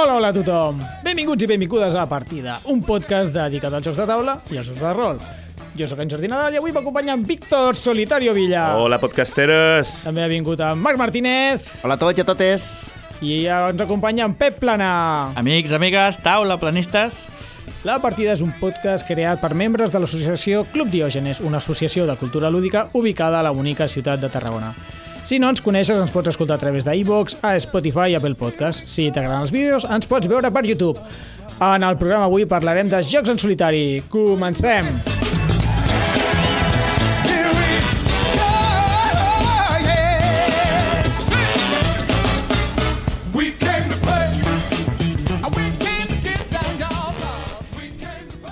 Hola a tothom! Benvinguts i benvingudes a Partida, un podcast dedicat als jocs de taula i als jocs de rol. Jo sóc en Jordi Nadal i avui m'acompanya en Víctor Solitario Villa. Hola, podcasteres! També ha vingut en Marc Martínez. Hola a tots i a totes. I ens acompanya en Pep Plana. Amics, amigues, taula, planistes. La Partida és un podcast creat per membres de l'associació Club Diògenes, una associació de cultura lúdica ubicada a la bonica ciutat de Tarragona. Si no ens coneixes, ens pots escoltar a través d'iVoox, a Spotify i Apple Podcast. Si t'agraden els vídeos, ens pots veure per YouTube. En el programa avui parlarem de jocs en solitari. Comencem!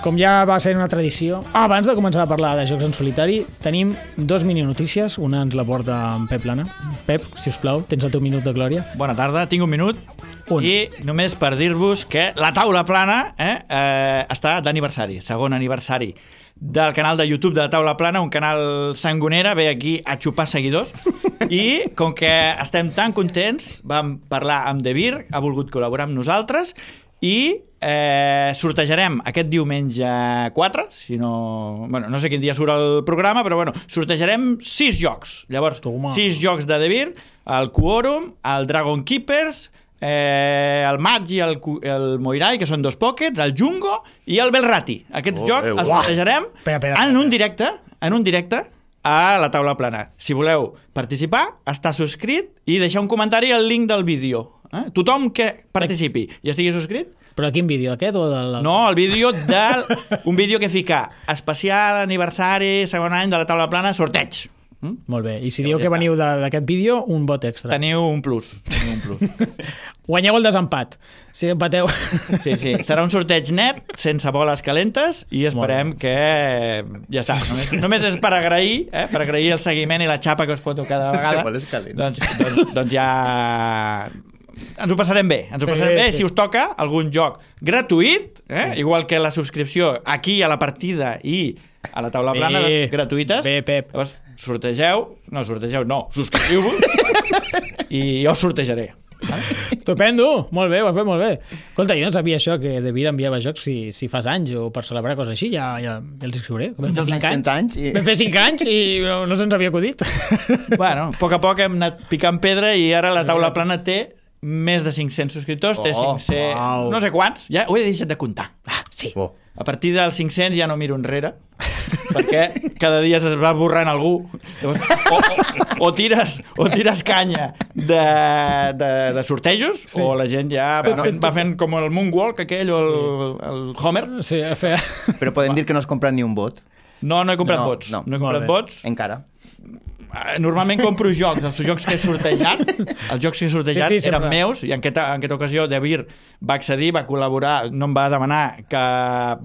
Com ja va ser una tradició, abans de començar a parlar de jocs en solitari, tenim dos mini-notícies. Una ens la porta en Pep Plana. Pep, si us plau, tens el teu minut de glòria. Bona tarda, tinc un minut. I només per dir-vos que la taula plana està d'aniversari, segon aniversari del canal de YouTube de la taula plana, un canal sangonera, ve aquí a xupar seguidors. I com que estem tan contents, vam parlar amb De Vir, ha volgut col·laborar amb nosaltres i sortejarem aquest diumenge 4, si no... Bueno, no sé quin dia surt el programa, però bueno, sortejarem 6 jocs. Llavors, 6 jocs de De Vir, el Quorum, el Dragon Keepers, el Magi i el Moirai, que són 2 pockets, el Jungo i el Belrati. Aquests jocs els sortejarem en un directe a la taula plana. Si voleu participar, estar subscrit i deixar un comentari al link del vídeo. Tothom que participi i estigui subscrit. Però quin vídeo, aquest o del...? No, el vídeo un vídeo que fica especial aniversari, segon any de la taula plana, sorteig. Molt bé, i si dieu que veniu d'aquest vídeo, un vot extra. Teniu un plus. Guanyeu el desempat, si empateu. Sí, serà un sorteig net, sense boles calentes, i esperem que... Ja està, només és per agrair el seguiment i la xapa que us foto cada vegada. Sense boles calentes. Doncs ja... Ens ho passarem bé, sí. Si us toca algun joc gratuït, igual que la subscripció aquí a la partida i a la taula plana, gratuïtes. Bé, Pep. Llavors, subscriviu-vos i jo sortejaré. Estupendo, molt bé, ho has fet molt bé. Escolta, jo no sabia això, que De Vir enviava jocs si fas anys o per celebrar coses així, ja els escriuré. Vam fer 5 anys. Vam fer 5 anys i no se'ns havia acudit. Bueno, a poc hem anat picant pedra i ara la taula plana té més de 500 subscriptors, té 500... No sé quants, ja ho he deixat de comptar. Sí. A partir dels 500 ja no miro enrere, perquè cada dia es va borrant algú. Llavors, o tires canya de sortejos, sí. O la gent ja va fent com el Moonwalk aquell o el Homer. Sí, Però podem dir que no has comprat ni un vot? No he comprat vots. No he comprat vots. Encara. Normalment compro jocs, els jocs que he sortejat, eren meus, i en aquesta ocasió De Vir va accedir, va col·laborar, no em va demanar cap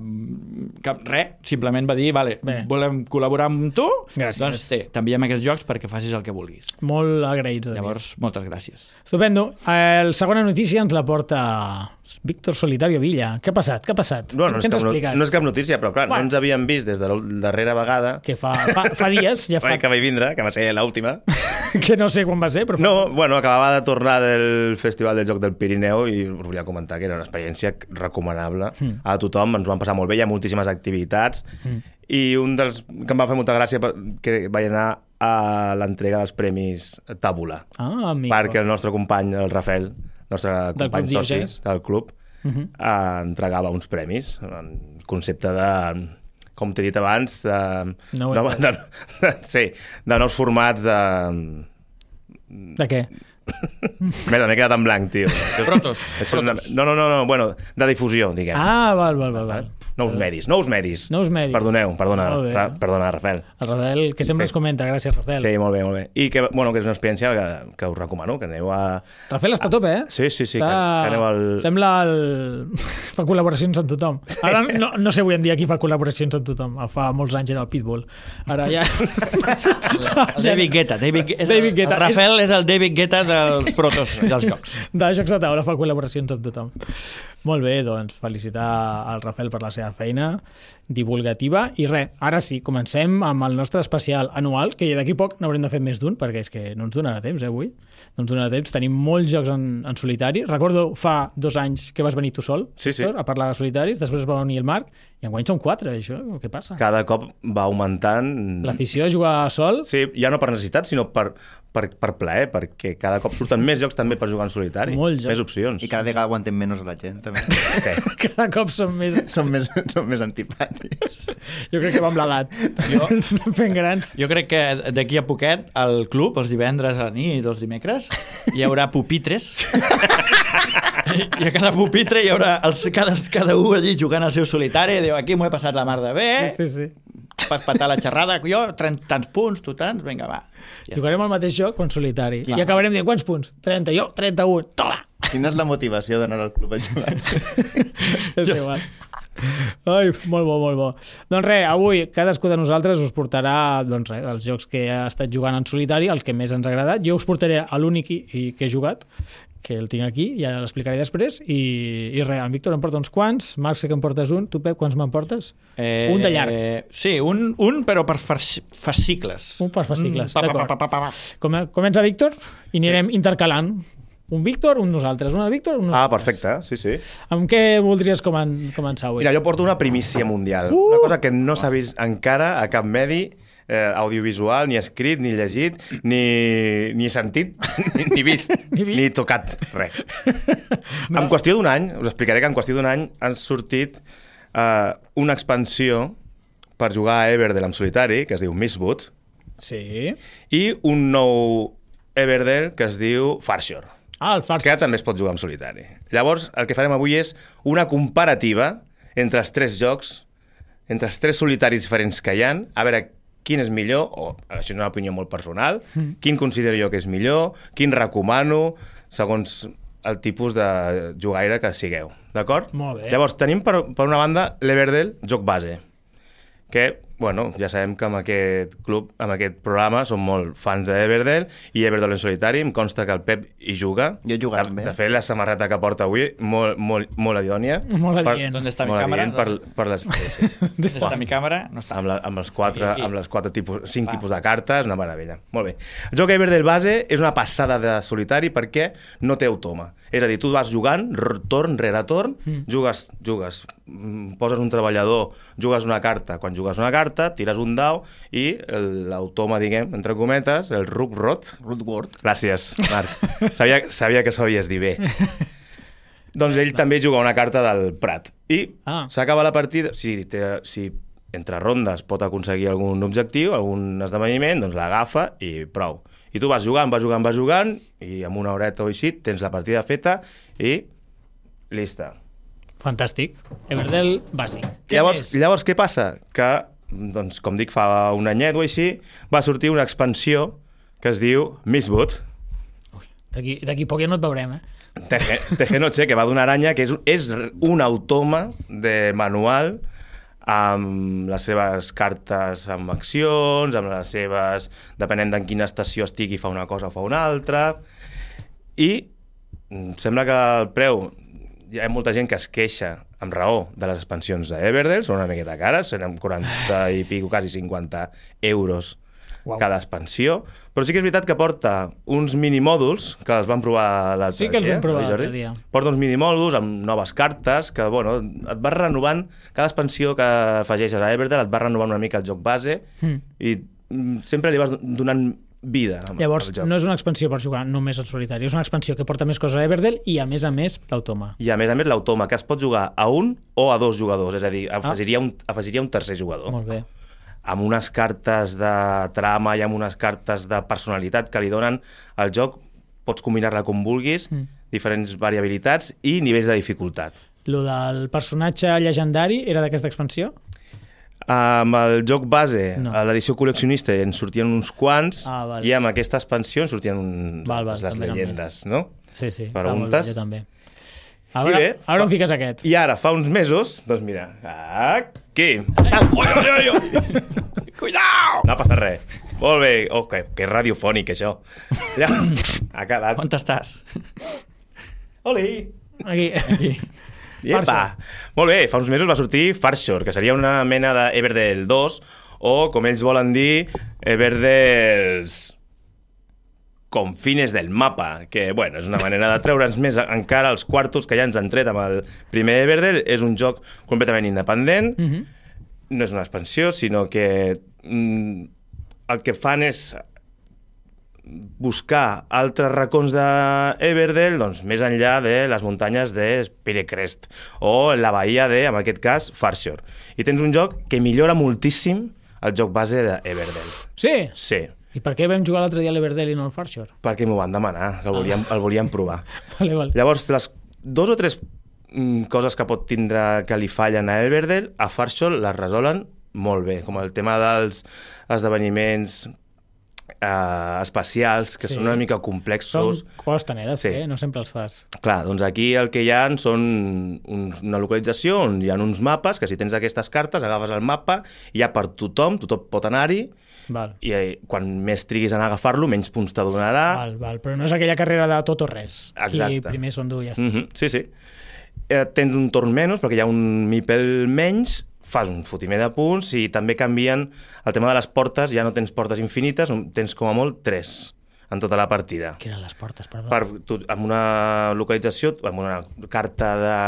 res, simplement va dir, vale, volem col·laborar amb tu, gràcies. Doncs t'enviem aquests jocs perquè facis el que vulguis. Molt agraïts. Llavors, moltes gràcies. Estupendo. La segona notícia ens la porta Víctor Solitario Villa. Què ha passat? No és cap notícia, però clar, no ens havíem vist des de la darrera vegada. Que fa dies. Ja fa... Que vaig vindre, que va ser l'última. Que no sé quan va ser, però... No, bueno, acabava de tornar del Festival del Joc del Pirineu i us volia comentar que era una experiència recomanable a tothom, ens ho vam passar molt bé, hi ha moltíssimes activitats i un dels que em va fer molta gràcia que vaig anar a l'entrega dels premis Tàbula, perquè el nostre company, el Rafael, nostre company soci del club, entregava uns premis en concepte de, com t'he dit abans, de nous formats de... De què? Merda, m'he quedat en blanc, tio. Protos. No, bueno, de difusió, diguem. Val. Nous medis. Perdona, Rafael. El Rafael, que sempre ens comenta, gràcies, Rafael. Sí, molt bé. I que, bueno, que és una experiència que us recomano, que aneu a... Rafael està a tope, eh? Sí, que aneu al... Sembla fa col·laboracions amb tothom. Ara no sé avui en dia qui fa col·laboracions amb tothom. Fa molts anys era el Pitbull. Ara ja... El David Guetta. El Rafael és el David Guetta dels protos dels jocs. De jocs de taula fa col·laboracions amb tothom. Molt bé, doncs felicitar al Rafael per la seva seva feina divulgativa. I res, ara sí, comencem amb el nostre especial anual, que d'aquí poc n'haurem de fer més d'un, perquè és que no ens donarà temps, avui. No ens donarà temps. Tenim molts jocs en solitari. Recordo fa 2 anys que vas venir tu sol, Sí. Víctor, a parlar de solitaris, després va venir el Marc, i enguany són 4, això. Què passa? Cada cop va augmentant... L'afició a jugar sol... Sí, ja no per necessitat, sinó per plaer, perquè cada cop surten més jocs també per jugar en solitari. Molts jocs. Més opcions. I cada vegada aguantem menys a la gent, també. Sí. Cada cop són més... Són més antipàtics. Jo crec que va amb l'edat. Ens anem fent grans. Jo crec que d'aquí a poquet al club, els divendres a la nit i els dimecres, hi haurà pupitres. I a cada pupitre hi haurà cada un allí jugant al seu solitari. Diu, aquí m'ho he passat la mar de bé. Sí, sí. Fas patar la xerrada. Jo, tants punts, tu tants, vinga, va. Ja. Jugarem al mateix joc en solitari. Clar. I acabarem dient, quants punts? 30, jo 31. Toma! Quina és la motivació d'anar al club a jugar? És igual. Ai, molt bo, molt bo. Doncs res, avui cadascú de nosaltres us portarà doncs res, els jocs que ha estat jugant en solitari, el que més ens ha agradat. Jo us portaré a l'únic que he jugat, que el tinc aquí, ja l'explicaré després, i res, en Víctor em porta uns quants, Marc sé que em portes un, tu Pep, quants me'n portes? Un de llarg. Sí, un però per fascicles. Un per fascicles, Pa. d'acord. Comença Víctor i anirem intercalant. Un Víctor, un nosaltres. Un Víctor, un nosaltres. Perfecte, sí, sí. Amb què voldries començar avui? Mira, jo porto una primícia mundial. Una cosa que no s'ha vist encara a cap medi audiovisual, ni escrit, ni llegit, ni sentit, ni vist, ni tocat, res. No. En qüestió d'un any, us explicaré que en qüestió d'un any han sortit una expansió per jugar a Everdell en solitari, que es diu Mistwood, Sí. i un nou Everdell que es diu Farshore, Ah, el Fars. que també es pot jugar en solitari. Llavors, el que farem avui és una comparativa entre els 3 jocs, entre els 3 solitaris diferents que hi ha, a veure quin és millor, o això és una opinió molt personal, quin considero jo que és millor, quin recomano, segons el tipus de jugaire que sigueu. D'acord? Molt bé. Llavors, tenim per una banda l'Everdell, joc base, que, bueno, ja sabem que amb aquest club, amb aquest programa, som molt fans d'Everdell i Everdell en solitari. Em consta que el Pep hi juga. Jo he jugat bé. De fet, la samarreta que porta avui, molt adidònia. Molt adient. ¿Dónde está mi Molt cámara? adient per les... Sí. ¿Dónde está mi cámara? No està. Amb els 4 tipus, 5 Va. tipus de cartes, una meravella. Molt bé. El joc Everdell base és una passada de solitari perquè no té automa. És a dir, tu vas jugant, torn rere torn, jugues, poses un treballador, jugues una carta. Quan jugues una carta, tires un dau i l'automa, diguem, entre cometes, el Rootward. Gràcies, Marc. Sabia que sabies dir bé. Doncs ell també juga una carta del Prat. I s'acaba la partida... Si entre rondes pot aconseguir algun objectiu, algun esdeveniment, doncs l'agafa i prou. I tu vas jugant, i en una horeta o així tens la partida feta i llista. Fantàstic. Everdell bàsic. Llavors, què passa? Que, doncs, com dic, fa un anyet o així, va sortir una expansió que es diu Mistwood. D'aquí poc ja no et veurem, Teje Noche, que va d'una aranya, que és un automa de manual amb les seves cartes amb accions, amb les seves... depenent d'en quina estació estigui, fa una cosa o fa una altra. I sembla que el preu... Hi ha molta gent que es queixa, amb raó, de les expansions d'Everdell, són una miqueta cares, seran 40 i pico, quasi 50 euros cada expansió, però sí que és veritat que porta uns minimòduls, que els vam provar l'altre dia. Sí que els vam provar l'altre dia. Porta uns minimòduls amb noves cartes, que, bueno, et vas renovant, cada expansió que afegeixes a Everdell et va renovant una mica el joc base i sempre li vas donant vida. Llavors, no és una expansió per jugar només al solitari, és una expansió que porta més coses a Everdell i, a més, l'automa. I, a més l'automa, que es pot jugar a un o a 2 jugadors, és a dir, afegiria un tercer jugador. Molt bé. Amb unes cartes de trama i amb unes cartes de personalitat que li donen al joc, pots combinar-la com vulguis, diferents variabilitats i nivells de dificultat. Lo del personatge llegendari era d'aquesta expansió? Amb el joc base, a l'edició col·leccionista en sortien uns quants i amb aquesta expansió en sortien les llegendes, no? Sí, preguntes. Jo també. Ara on fiques aquest? I ara, fa uns mesos, doncs mira, aquí. Cuidao! No passa res. Molt bé. Oh, que radiofònic, això. Ja, ha quedat. On estàs? Oli! Aquí. Iepa! Molt bé, fa uns mesos va sortir Farshore, que seria una mena d'Everdell 2, o, com ells volen dir, Everdells confines del mapa, que, bueno, és una manera de treure'ns més encara els quartos que ja ens han tret amb el primer Everdell. És un joc completament independent, no és una expansió, sinó que el que fan és buscar altres racons d'Everdell, doncs, més enllà de les muntanyes de Spirecrest o la bahia de, en aquest cas, Farshore. I tens un joc que millora moltíssim el joc base d'Everdell. Sí? Sí. I per què vam jugar l'altre dia a l'Everdell i no al Farshore? Perquè m'ho van demanar, que el volíem provar. Vale. Llavors, les 2 o 3 coses que pot tindre que li fallen a Everdell, a Farshore les resolen molt bé, com el tema dels esdeveniments espacials, que són una mica complexos. Costen, de fer, no sempre els fas. Clar, doncs aquí el que hi ha són una localització on hi ha uns mapes, que si tens aquestes cartes, agafes el mapa, i hi ha per tothom pot anar-hi, i quan més triguis en agafar-lo, menys punts te donarà. Val. Però no és aquella carrera de tot o res. Exacte. I primer són dur i ja està. Sí. Tens un torn menys, perquè hi ha un mipel menys, fas un fotimer de punts, i també canvien el tema de les portes, ja no tens portes infinites, tens com a molt 3 en tota la partida. Què eren les portes, perdó? Amb una localització, amb una carta de...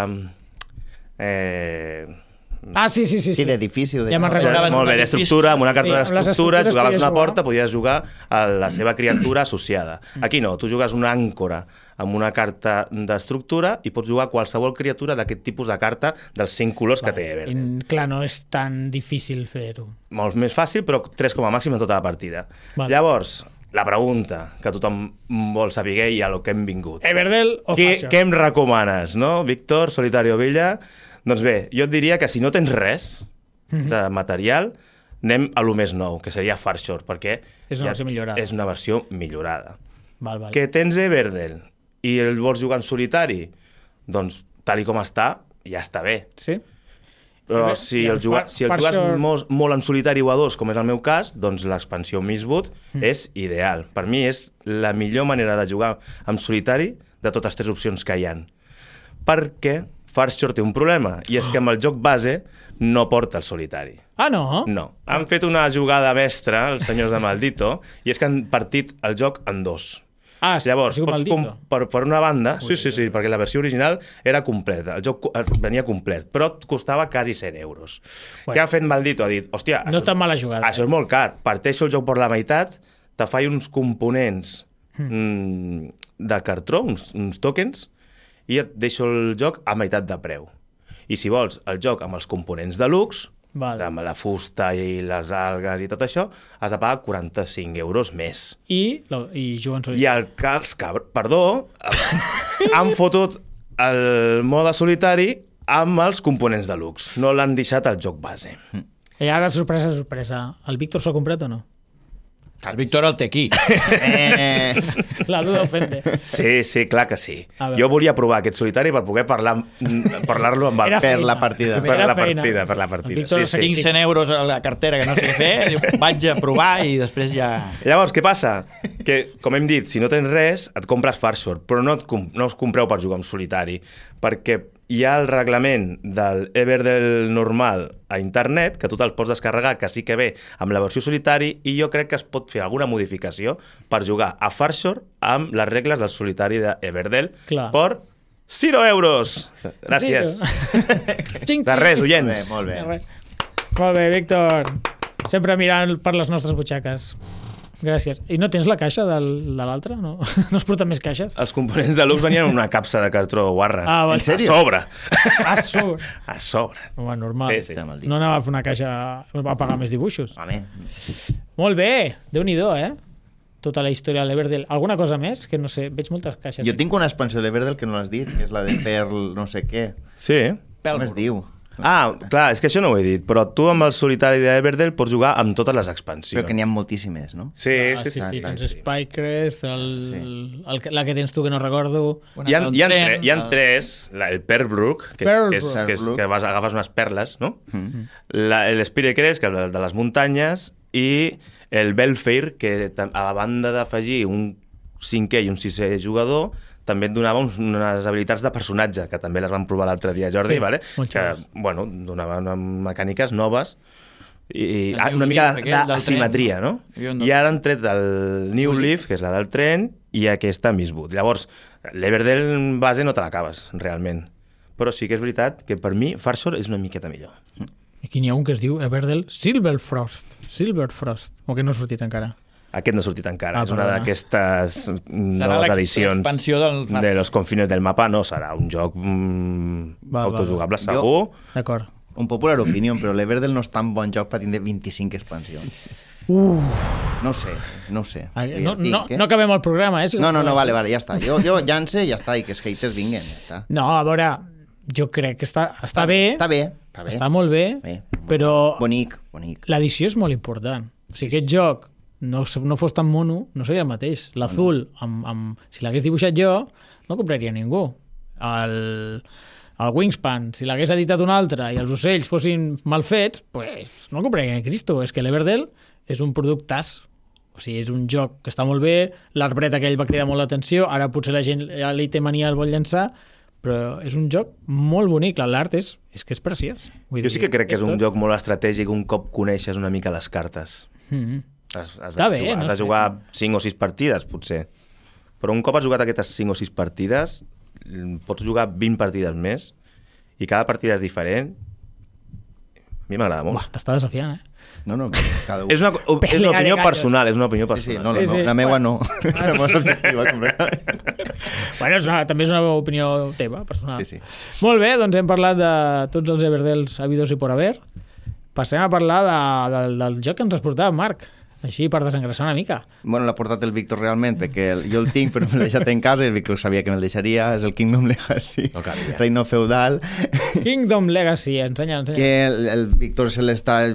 Sí. Sí, d'edifici. Ja me'n recordaves. Molt bé, d'estructura, amb una carta d'estructura, jugaves una porta, jugar. podies jugar a la seva criatura associada. Aquí no, tu jugues una àncora amb una carta d'estructura i pots jugar qualsevol criatura d'aquest tipus de carta dels 5 colors que té Everdell. Clar, no és tan difícil fer-ho. Molt més fàcil, però 3 com a màxim en tota la partida. Llavors, la pregunta que tothom vol saber i a lo que hem vingut. Everdell o Farshore? Què em recomanes, no? Víctor, Solitario Villa... Doncs bé, jo et diria que si no tens res de material, anem a lo més nou, que seria Farshore, perquè és una versió millorada. És una versió millorada. Val. Que tens Everdell i el vols jugar en solitari, doncs, tal i com està, ja està bé. Sí? Però si el jugues molt en solitari o a 2, com és el meu cas, doncs l'expansió Mistwood és ideal. Per mi és la millor manera de jugar en solitari de totes 3 opcions que hi ha. Perquè Farshore té un problema, i és que amb el joc base no porta el solitari. Ah, no? No. Han fet una jugada mestra, els senyors de Maldito, i és que han partit el joc en 2. Llavors, per una banda... Sí, perquè la versió original era completa, el joc venia complet, però costava quasi 100 euros. Què ha fet Maldito? Ha dit, hòstia, no és tan mala jugada. Això és molt car, parteixo el joc per la meitat, te faig uns components de cartró, uns tokens, i et deixo el joc a meitat de preu. I si vols el joc amb els components deluxe, amb la fusta i les algues i tot això, has de pagar 45 euros més. I juguen solitari. I els han fotut el mode solitari amb els components deluxe. No l'han deixat al joc base. I ara, sorpresa, el Víctor s'ho ha comprat o no? El Víctor el té aquí. La duda ofende. Sí, clar que sí. Jo volia provar aquest solitari per poder parlar-lo amb el... Per la partida. Per la partida. Víctor, tinc 100 euros a la cartera que no sé què fer, diu, vaig a provar i després ja... Llavors, què passa? Que, com hem dit, si no tens res, et compres Farshore, però no us compreu per jugar en solitari, perquè hi ha el reglament del Everdell normal a internet, que tu te'l pots descarregar, que sí que ve amb la versió solitari, i jo crec que es pot fer alguna modificació per jugar a Farshore amb les regles del solitari d'Everdell per 0 euros. Gràcies. De res, oients. Molt bé. Molt bé, Víctor. Sempre mirant per les nostres butxaques. Gràcies. I no tens la caixa de l'altre? No es porten més caixes? Els components de luxe venien en una capsa de cartró guarra. En sèrio? A sobre. Home, normal. Sí. No anava a fer una caixa a pagar més dibuixos. Home. Molt bé. Déu-n'hi-do, tota la història de l'Everdell. Alguna cosa més? Que no sé, veig moltes caixes. Jo tinc una expansió de l'Everdell que no l'has dit, que és la de Pearl no sé què. Sí. Com es diu? Clar, és que això no ho he dit, però tu amb el solitari d'Everdell pots jugar amb totes les expansions. Però que n'hi ha moltíssimes, no? Sí. Doncs Spycrest, la que tens tu que no recordo... Hi ha 3, el Pearlbrook, que agafes unes perles, no? L'Spirecrest, que és de les muntanyes, i el Belfair, que a banda d'afegir un 5è i un 6è jugador, també et donava unes habilitats de personatge, que també les vam provar l'altre dia, Jordi, Sí, vale? molt Que, xules. bueno, donava unes mecàniques noves i El New una mica Leaf, aquell del d'asimetria, tren, no? Hi havia un del- I ara han tret el New Leaf, que és la del tren, i aquesta Mistwood. Llavors, l'Everdell base no te l'acabes, realment. Però sí que és veritat que per mi Farshore és una miqueta millor. Aquí n'hi ha un que es diu Everdell Silverfrost, o que no ha sortit encara. Aquest no ha sortit encara. És una perdona. d'aquestes Serà noves edicions l'expansió del de los confines del mapa. No serà un joc Val, autojugable, val. segur. D'acord. Un popular opinió, però l'Everdell no és tan bon joc per tindre 25 expansions. No sé. No, Ja et dic, no, no acabem el programa, eh? No, vale, ja està. Jo llance i ja està, i que els haters vinguen, ja està. No, a veure, jo crec que està bé, Està bé. està molt bé, Bé. però Bonic. l'edició és molt important. O sigui, aquest joc no fos tan mono, no seria el mateix. L'azul, si l'hagués dibuixat jo, no compraria ningú. El Wingspan, si l'hagués editat un altre i els ocells fossin mal fets, pues, no compraria ni Cristo. És que l'Everdell és un productàs. O sigui, és un joc que està molt bé, l'arbret aquell va cridar molt l'atenció, ara potser la gent ja li té mania, el vol llançar, però és un joc molt bonic, l'art és que és preciós. Vull Jo sí que crec que és un tot. joc molt estratègic un cop coneixes una mica les cartes. Mm. Has Està bé, no has de sé. jugar 5 o 6 partides, potser. Però un cop has jugat aquestes 5 o 6 partides, pots jugar 20 partides més i cada partida és diferent. A mi m'agrada molt. Buah, t'està desafiant, eh? No, cada un. És una Pelea de opinió gallos. personal, és una opinió Sí, personal. no, Sí, sí. la meva no. Bueno. La meva és objectiva, completament. Bueno, també és una opinió teva, personal. Sí. Molt bé, doncs hem parlat de tots els Everdells habidos i por haver. Passem a parlar del joc que ens has portat, Marc. Així, per desengressar una mica. Bueno, l'ha portat el Víctor realment, perquè jo el tinc, però me l'he deixat en casa i el Víctor sabia que me'l deixaria. És el Kingdom Legacy, No calia. Reino Feudal, Kingdom Legacy, ensenya. que el Víctor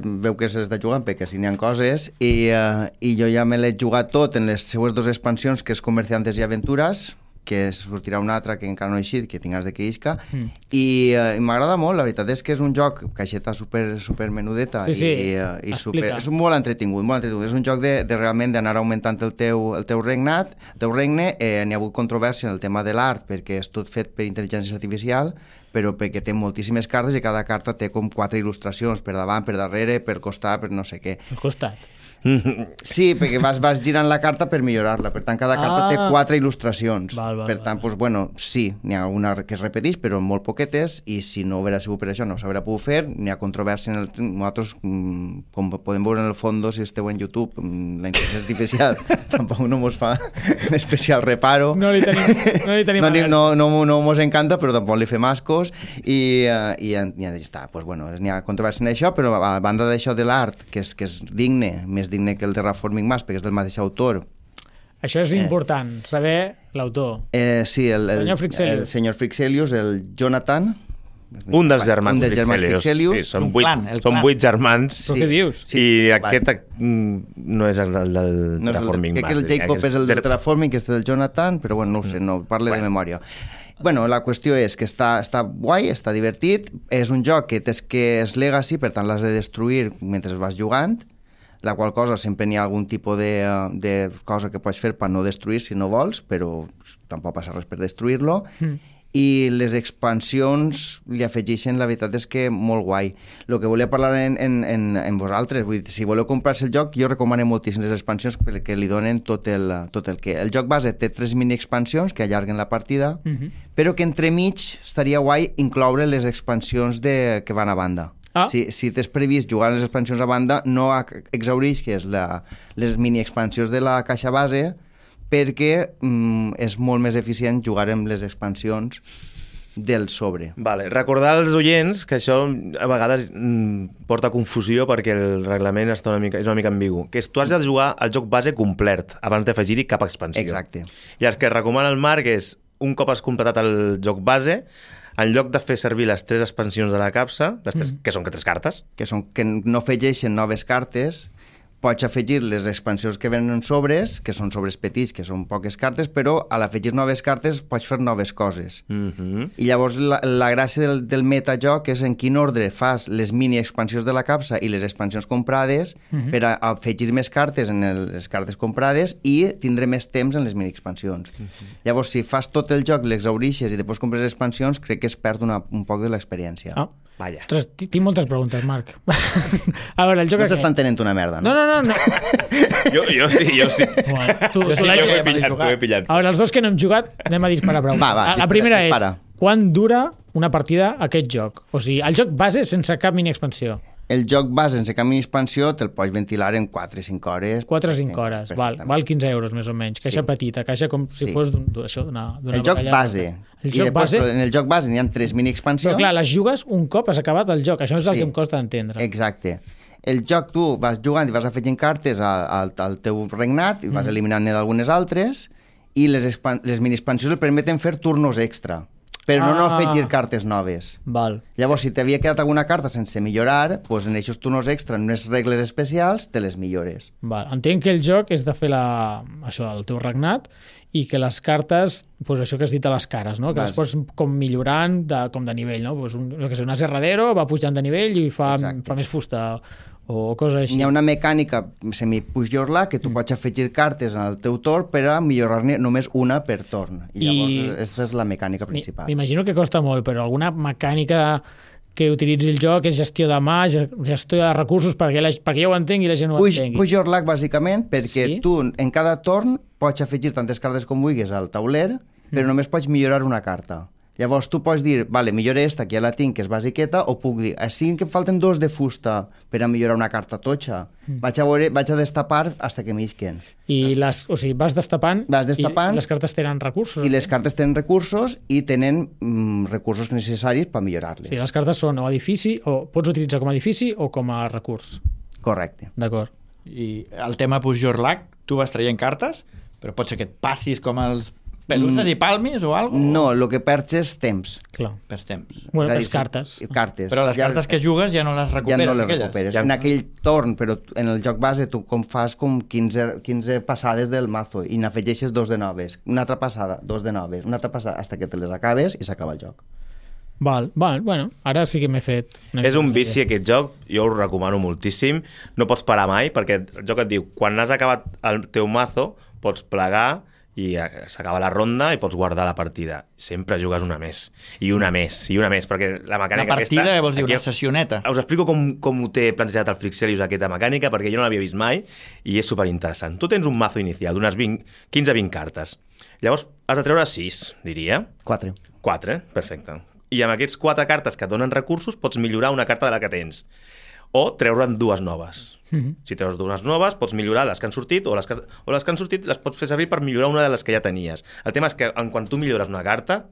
veu que se l'està jugant perquè si n'hi ha coses i jo ja me l'he jugat tot en les seues 2 expansions, que és Comerciantes i Aventures, que sortirà una altra que encara no ha eixit, que tingues de que isca, i m'agrada molt, la veritat és que és un joc caixeta super menudeta Sí, sí, i explica. és molt entretingut, és un joc de realment d'anar augmentant el teu regne, n'hi ha hagut controvèrsia en el tema de l'art perquè és tot fet per intel·ligència artificial, però perquè té moltíssimes cartes i cada carta té com 4 il·lustracions per davant, per darrere, per costat, per no sé què. Al costat. Sí, perquè vas girant la carta per millorar-la. Per tant, cada carta té 4 il·lustracions. Val, per tant, doncs, bueno, sí, n'hi ha una que es repeteix, però molt poquetes, i si no haguera sigut per això no s'haurà pogut fer. N'hi ha controvèrsia en nosaltres, com podem veure en el fons, si esteu en YouTube, la intel·ligència artificial tampoc no mos fa especial reparo. No li tenim No mos encanta, però tampoc li fem ascos, i ja està. Pues, bueno, n'hi ha controvèrsia en això, però a banda d'això de l'art, que és digne, més digne que el Terraforming Mars, perquè és del mateix autor. Això és important, saber l'autor. Sí, el senyor Frixelius, el Jonathan. Un dels germans Frixelius. Sí, són Un clan, el clan. 8 germans. Però què dius? Sí, I vale. aquest no és el del No és Terraforming crec que el Jacob és el del Terraforming, que és del Jonathan, però bueno, no ho sé, no parle de memòria. Bueno, la qüestió és que està guai, està divertit, és un joc que és legacy, per tant l'has de destruir mentre vas jugant, la qual cosa sempre n'hi ha algun tipus de cosa que pots fer per no destruir si no vols, però tampoc passa res per destruir-lo. I les expansions li afegeixen, la veritat és que molt guai. El que volia parlar en vosaltres, vull dir, si voleu comprar-se el joc, jo recomano moltíssim les expansions perquè li donen tot el que... El joc base té 3 mini-expansions que allarguen la partida, però que entremig estaria guai incloure les expansions que van a banda. Ah. Si tens previst jugar les expansions a banda, no exhaureixis les mini-expansions de la caixa base, perquè és molt més eficient jugar amb les expansions del sobre. Vale. Recordar als oients que això a vegades porta confusió perquè el reglament és una mica ambigu. Que tu has de jugar el joc base complet abans d'afegir-hi cap expansió. Exacte. I el que recomana el Marc és, un cop has completat el joc base, en lloc de fer servir les 3 expansions de la capsa, les 3, que són 3 cartes, Que no afegeixen noves cartes, pots afegir les expansions que venen en sobres, que són sobres petits, que són poques cartes, però a l'afegir noves cartes pots fer noves coses. I llavors la gràcia del metajoc és en quin ordre fas les mini expansions de la capsa i les expansions comprades per a afegir més cartes en les cartes comprades i tindre més temps en les mini expansions. Llavors, si fas tot el joc, l'exhaurixes i després compres expansions, crec que es perd un poc de l'experiència. Vaja. Ostres, tinc moltes preguntes, Marc. A veure, el joc No aquest... s'està entenent una merda, no? No. Jo sí. Bueno, tu sí, l'has T'ho he jugat. pillat. A veure, els dos que no hem jugat, anem a disparar preguntes. Va, La primera dispara. és, quan dura una partida aquest joc? O sigui, el joc base sense cap mini expansió. El joc base sense cap mini expansió te'l pots ventilar en 4 o 5 hores. 4 o 5 hores, val 15 euros més o menys. Caixa petita, caixa com si fos d'una El joc base. El I joc després, base... en el joc base n'hi ha 3 mini expansions. Però clar, les jugues un cop has acabat el joc. Això és el que em costa d'entendre. Exacte. El joc tu vas jugant i vas afegint cartes al teu regnat i vas eliminant-ne d'algunes altres i les mini expansions el permeten fer turnos extra, però no afegir cartes noves. Val. Llavors, si t'havia quedat alguna carta sense millorar, doncs en aquests turnos extra, en unes regles especials, te les millores. Val. Entenc que el joc és de fer el teu regnat i que les cartes, doncs això que has dit a les cares, no? Que les pots com millorant com de nivell, no? Pues un aserradero va pujant de nivell i fa més fusta o coses així. Hi ha una mecànica semi-push your luck que tu pots afegir cartes al teu torn per a millorar-ne només una per torn. I llavors aquesta és la mecànica principal. M'imagino que costa molt, però alguna mecànica que utilitzi el joc és gestió de mà, gestió de recursos, perquè jo ho entenc i la gent no ho entengui. Push your luck, bàsicament, perquè tu en cada torn pots afegir tantes cartes com vulguis al tauler, però només pots millorar una carta. Llavors tu pots dir, vale, millore esta, que ja la tinc, que és basiqueta, o puc dir, així que em falten 2 de fusta per a millorar una carta totxa. Vaig a destapar hasta que m'isquen. I vas destapant, i les cartes tenen recursos. I les cartes tenen recursos i tenen recursos necessaris per millorar-les. Sí, les cartes són o edifici, o pots utilitzar com a edifici o com a recurs. Correcte. D'acord. I el tema Push Your Luck, tu vas traient cartes, però pot ser que et passis com els pelusses i palmis o alguna cosa? No, el que perds és temps. Clar. Perds temps. Bueno, les cartes. Però les cartes que jugues ja no les recuperes. Ja no les recuperes. En aquell torn, però en el joc base tu fas com 15 passades del mazo i n'afegeixes 2 de noves. Una altra passada, 2 de noves. Una altra passada, fins que te les acabes i s'acaba el joc. Val, bueno, ara sí que m'he fet... És un vici aquest joc, jo ho recomano moltíssim, no pots parar mai, perquè el joc et diu, quan has acabat el teu mazo, pots plegar i s'acaba la ronda i pots guardar la partida. Sempre jugues una més, i una més, i una més, perquè la mecànica aquesta... La partida, aquesta, vols dir, una sessioneta? Us explico com ho té plantejat el Frixelius, aquesta mecànica, perquè jo no l'havia vist mai, i és superinteressant. Tu tens un mazo inicial d'unes 15-20 cartes. Llavors, has de treure 6, diria. 4, perfecte. I amb aquests 4 cartes que et donen recursos pots millorar una carta de la que tens. O treure'n 2 noves. Si treus 2 noves, pots millorar les que han sortit, o les que han sortit les pots fer servir per millorar una de les que ja tenies. El tema és que quan tu millores una carta,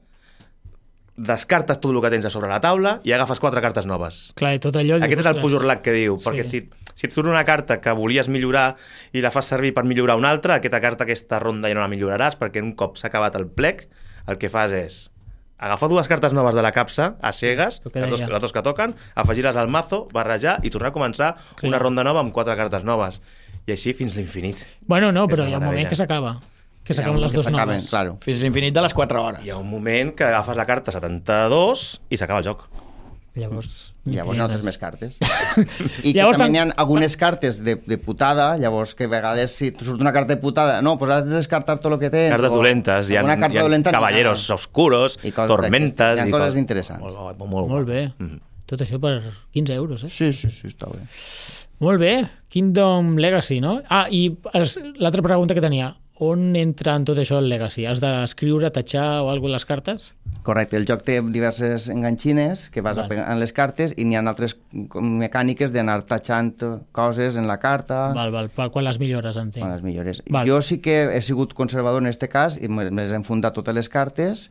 descartes tot el que tens a sobre la taula i agafes 4 cartes noves. Clar, i tot allò... Aquest és el push your luck que diu, perquè si et surt una carta que volies millorar i la fas servir per millorar una altra, aquesta carta aquesta ronda ja no la milloraràs, perquè un cop s'ha acabat el plec, el que fas és agafar 2 cartes noves de la capsa, a cegues, les dos que toquen, afegir-les al mazo, barrejar i tornar a començar una ronda nova amb 4 cartes noves. I així fins l'infinit. Bueno, no, però hi ha un moment que s'acaba. Que s'acaben les 2 noves. Claro. Fins l'infinit de les 4 hores. Hi ha un moment que agafes la carta 72 i s'acaba el joc. Llavors no tens més cartes. I que també hi ha algunes cartes de putada, llavors que a vegades si surt una carta de putada, no, pues has de descartar tot el que tens. Cartes dolentes, hi ha caballeros oscuros, tormentes... Hi ha coses interessants. Molt bé. Tot això per 15 euros, eh? Sí, està bé. Molt bé. Kingdom Legacy, no? I l'altra pregunta que tenia, on entra en tot això el Legacy? Has d'escriure, tatxar o alguna cosa les cartes? Correcte, el joc té diverses enganxines que vas apegant les cartes i n'hi ha altres mecàniques d'anar tatxant coses en la carta. Quan les millores, entenc. Quan les millores. Jo sí que he sigut conservador en aquest cas i me les he enfundat totes les cartes,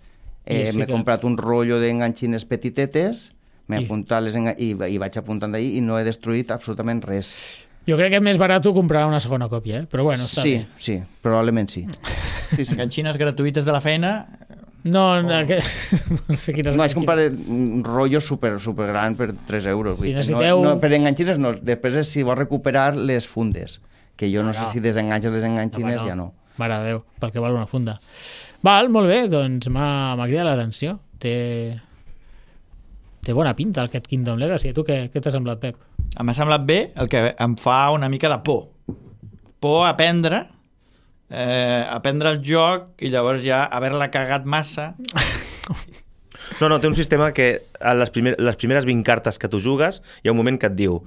m'he comprat un rotllo d'enganxines petitetes, m'he apuntat i vaig apuntant d'ahir i no he destruït absolutament res. Jo crec que és més barat comprar una segona còpia, però bueno, està bé. Sí, probablement sí. Enganxines gratuïtes de la feina... No sé quines... No, vaig comprar un rotllo super gran per 3 euros. Si necessiteu... Per enganxines no, després si vols recuperar les fundes. que jo no sé si desenganxes les enganxines, ja no. Mare de Déu, pel que val una funda. Val, molt bé, doncs m'ha cridat l'atenció. Té bona pinta aquest Kingdom Legacy. A tu què t'ha semblat, Pep? M'ha semblat bé, el que em fa una mica de por. Por a aprendre el joc i llavors ja haver-la cagat massa. No, té un sistema que a les primeres 20 cartes que tu jugues hi ha un moment que et diu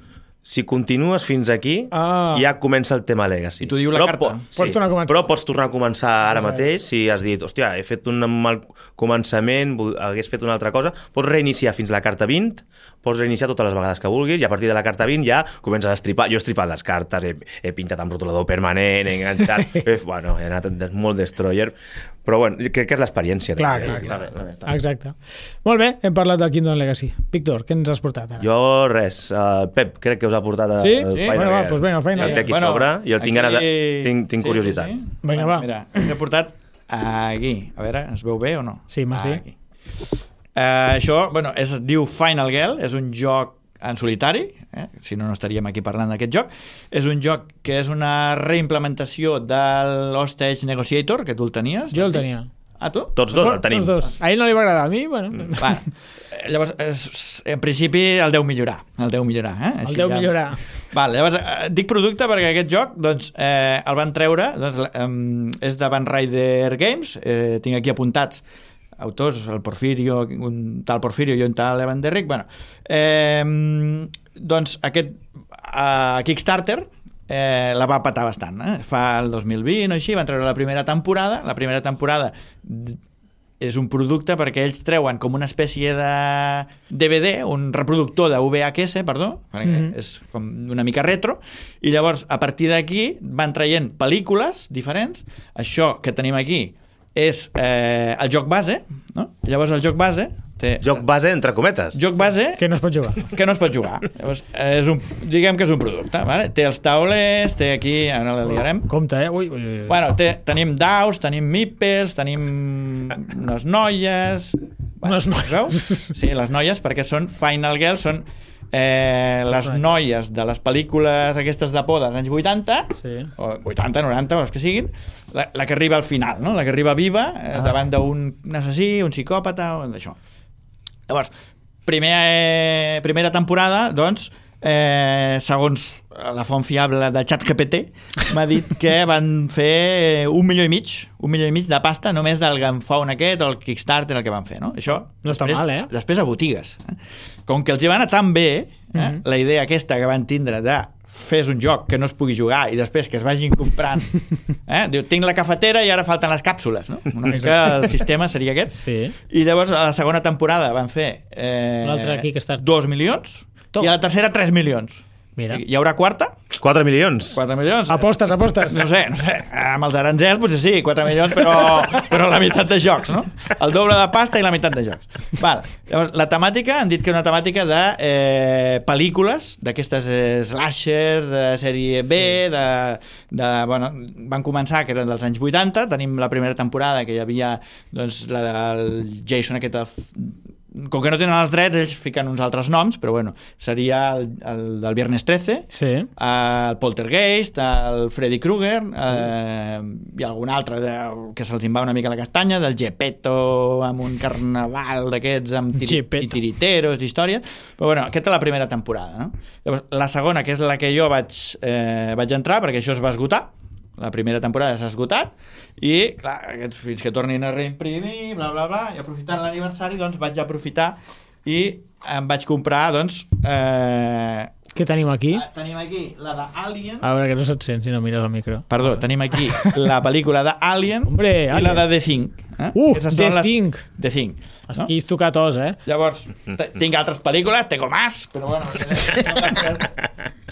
si continues fins aquí, ja comença el tema Legacy. I t'ho diu la carta. Pots tornar a començar. Però pots tornar a començar ara mateix si has dit, hòstia, he fet un mal començament, hagués fet una altra cosa. Pots reiniciar fins la carta 20, pots reiniciar totes les vegades que vulguis i a partir de la carta 20 ja comences a estripar. Jo he estripat les cartes, he pintat amb rotulador permanent, he enganxat... Bueno, he anat molt destroyer, però bueno, crec que és l'experiència. Clar. Exacte. Molt bé, hem parlat del Kingdom Legacy. Víctor, què ens has portat ara? Jo res, Pep, crec que us ha portat el Final Gear. Doncs vinga, el Final Gear. El té aquí sobre i el tinc curiositat. Sí. Vinga, va. Mira, he portat aquí. A veure, es veu bé o no? Sí, sí. Aquí. Això, es diu Final Girl, és un joc en solitari, si no estaríem aquí parlant d'aquest joc. És un joc que és una reimplementació de l'Hostage Negotiator, que tu el tenies. Jo el tenia. Ah, tu? Tots dos el tenim. A ell no li va agradar, a mi, bueno. Llavors, en principi el deu millorar. El deu millorar. Llavors, dic producte perquè aquest joc el van treure, és de Van Ryder Games, tinc aquí apuntats autors, el Porfirio, un tal Porfirio i un tal Evan Derrick. Doncs aquest Kickstarter la va patar bastant. Fa el 2020 o així, van treure la primera temporada. La primera temporada és un producte perquè ells treuen com una espècie de DVD, un reproductor de VHS, perdó, és com una mica retro, i llavors a partir d'aquí van traient pel·lícules diferents. Això que tenim aquí és el joc base, no? Llavors el joc base joc base, entre cometes. Joc base... Que no es pot jugar. Llavors, diguem que és un producte. Vale? Té els taulers, té aquí... Ara la liarem. Compte, Ui. Bueno, tenim daus, tenim meeples, tenim unes noies... Unes noies? Sí, les noies, perquè són Final Girl, són les noies de les pel·lícules aquestes de por dels anys 80, o 80, 90, o els que siguin, la que arriba al final, no? La que arriba viva davant d'un assassí, un psicòpata, o d'això. Llavors, primera temporada, doncs, segons la font fiable de ChatGPT, m'ha dit que van fer 1,5 milió de pasta només del Gunfound aquest o el Kickstarter el que van fer, no? Això no està mal, després a botigues. Com que els hi va anar tan bé, la idea aquesta que van tindre de fes un joc que no es pugui jugar i després que es vagin comprant. Diu, tinc la cafetera i ara falten les càpsules, no? Una mica el sistema seria aquest. Sí. I llavors a la segona temporada van fer 2 milions i a la tercera 3 milions. Mira. Hi haurà quarta? 4 milions. 4 milions. Apostes. No sé. Amb els aranzels potser sí, 4 milions, però la meitat de jocs, no? El doble de pasta i la meitat de jocs. Val. Llavors, la temàtica, han dit que és una temàtica de pel·lícules, d'aquestes slasher, de sèrie B, van començar, que eren dels anys 80, tenim la primera temporada, que hi havia la del Jason aquest... Com que no tenen els drets, ells fiquen uns altres noms, però bueno, seria el del Viernes 13, el Poltergeist, el Freddy Krueger, i algun altre que se'ls va una mica la castanya, del Geppetto amb un carnaval d'aquests amb titiriteros d'històries, però bueno, aquesta és la primera temporada, no? Llavors, la segona, que és la que jo vaig entrar, perquè això es va esgotar, la primera temporada s'ha esgotat i, clar, fins que tornin a reimprimir, bla, bla, bla, i aprofitant l'aniversari, doncs vaig aprofitar i em vaig comprar, doncs... Què tenim aquí? Tenim aquí la d'Alien... A veure, que no se't sent si no mires el micro. Perdó, tenim aquí la pel·lícula d'Alien i la de The Thing. The Thing! The Thing. Aquí has tocat os, Llavors, tinc altres pel·lícules, tengo más, però bueno...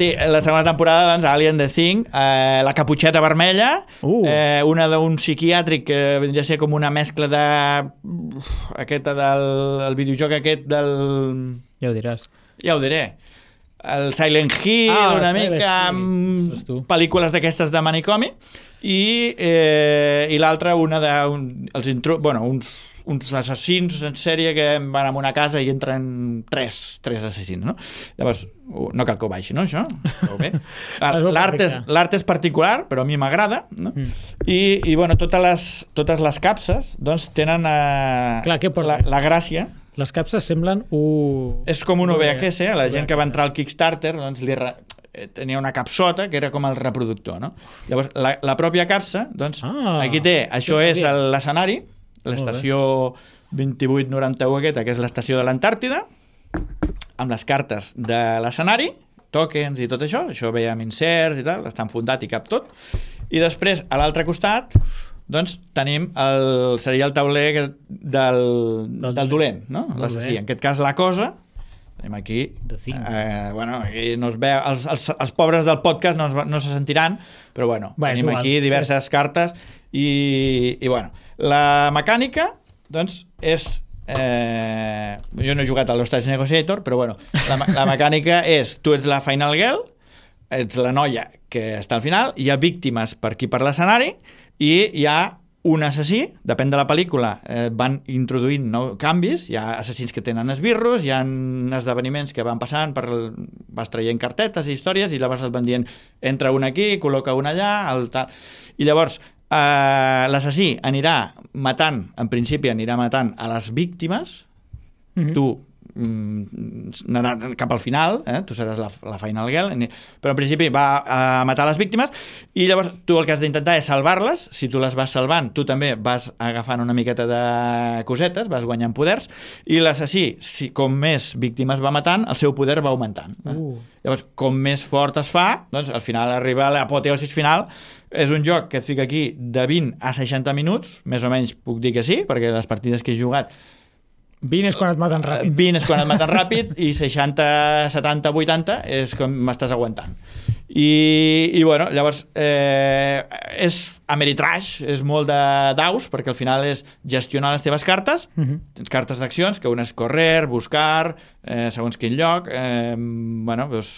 La segona temporada, doncs, Alien The Thing, la caputxeta vermella, una d'un psiquiàtric que vindria a ser com una mescla de... aquesta del videojoc aquest del... Ja ho diràs. Ja ho diré. El Silent Hill, una mica, amb pel·lícules d'aquestes de manicomi, i l'altra, una de... uns uns assassins en sèrie que van a una casa i entren tres assassins, no? Llavors, no cal que ho baixi, no, això? Bé. L'art és particular, però a mi m'agrada, no? I bueno, totes les capses doncs, tenen la gràcia. Les capses semblen És com un VHS, la gent que va entrar al Kickstarter doncs, tenia una capsota que era com el reproductor, no? Llavors, la pròpia capsa, doncs, aquí té, això és l'escenari, l'estació 2891 aquesta, que és l'estació de l'Antàrtida, amb les cartes de l'escenari, tokens i tot això ve amb inserts i tal, està enfundat i cap tot, i després, a l'altre costat, doncs tenim seria el tauler del dolent, no? L'assassí. En aquest cas, la cosa, tenim aquí, aquí no es veu, els pobres del podcast no se sentiran, però bueno, tenim aquí diverses cartes i bueno, la mecànica doncs és jo no he jugat a l'Hostage Negotiator, però bueno, la mecànica és, tu ets la Final Girl, ets la noia que està al final, hi ha víctimes per aquí per l'escenari i hi ha un assassí, depèn de la pel·lícula, van introduint canvis, hi ha assassins que tenen esbirros, hi ha esdeveniments que van passant, vas traient cartetes i històries, i llavors et van dient, entra un aquí, col·loca un allà, tal. I llavors l'assassí anirà matant, en principi anirà matant a les víctimes, tu anarà cap al final, tu seràs la Final Girl, però en principi va a matar les víctimes i llavors tu el que has d'intentar és salvar-les. Si tu les vas salvant, tu també vas agafant una miqueta de cosetes, vas guanyant poders, i l'assassí, com més víctimes va matant, el seu poder va augmentant. Llavors, com més fort es fa, doncs al final arriba a l'apoteosis final. És un joc que et fica aquí de 20 a 60 minuts, més o menys puc dir que sí, perquè les partides que he jugat 20 és quan et maten ràpid. 20 és quan et maten ràpid i 60, 70, 80 és com m'estàs aguantant. I bueno, llavors és Ameritrash, és molt de daus, perquè al final és gestionar les teves cartes, tens cartes d'accions, que una és correr, buscar, segons quin lloc, bueno, doncs,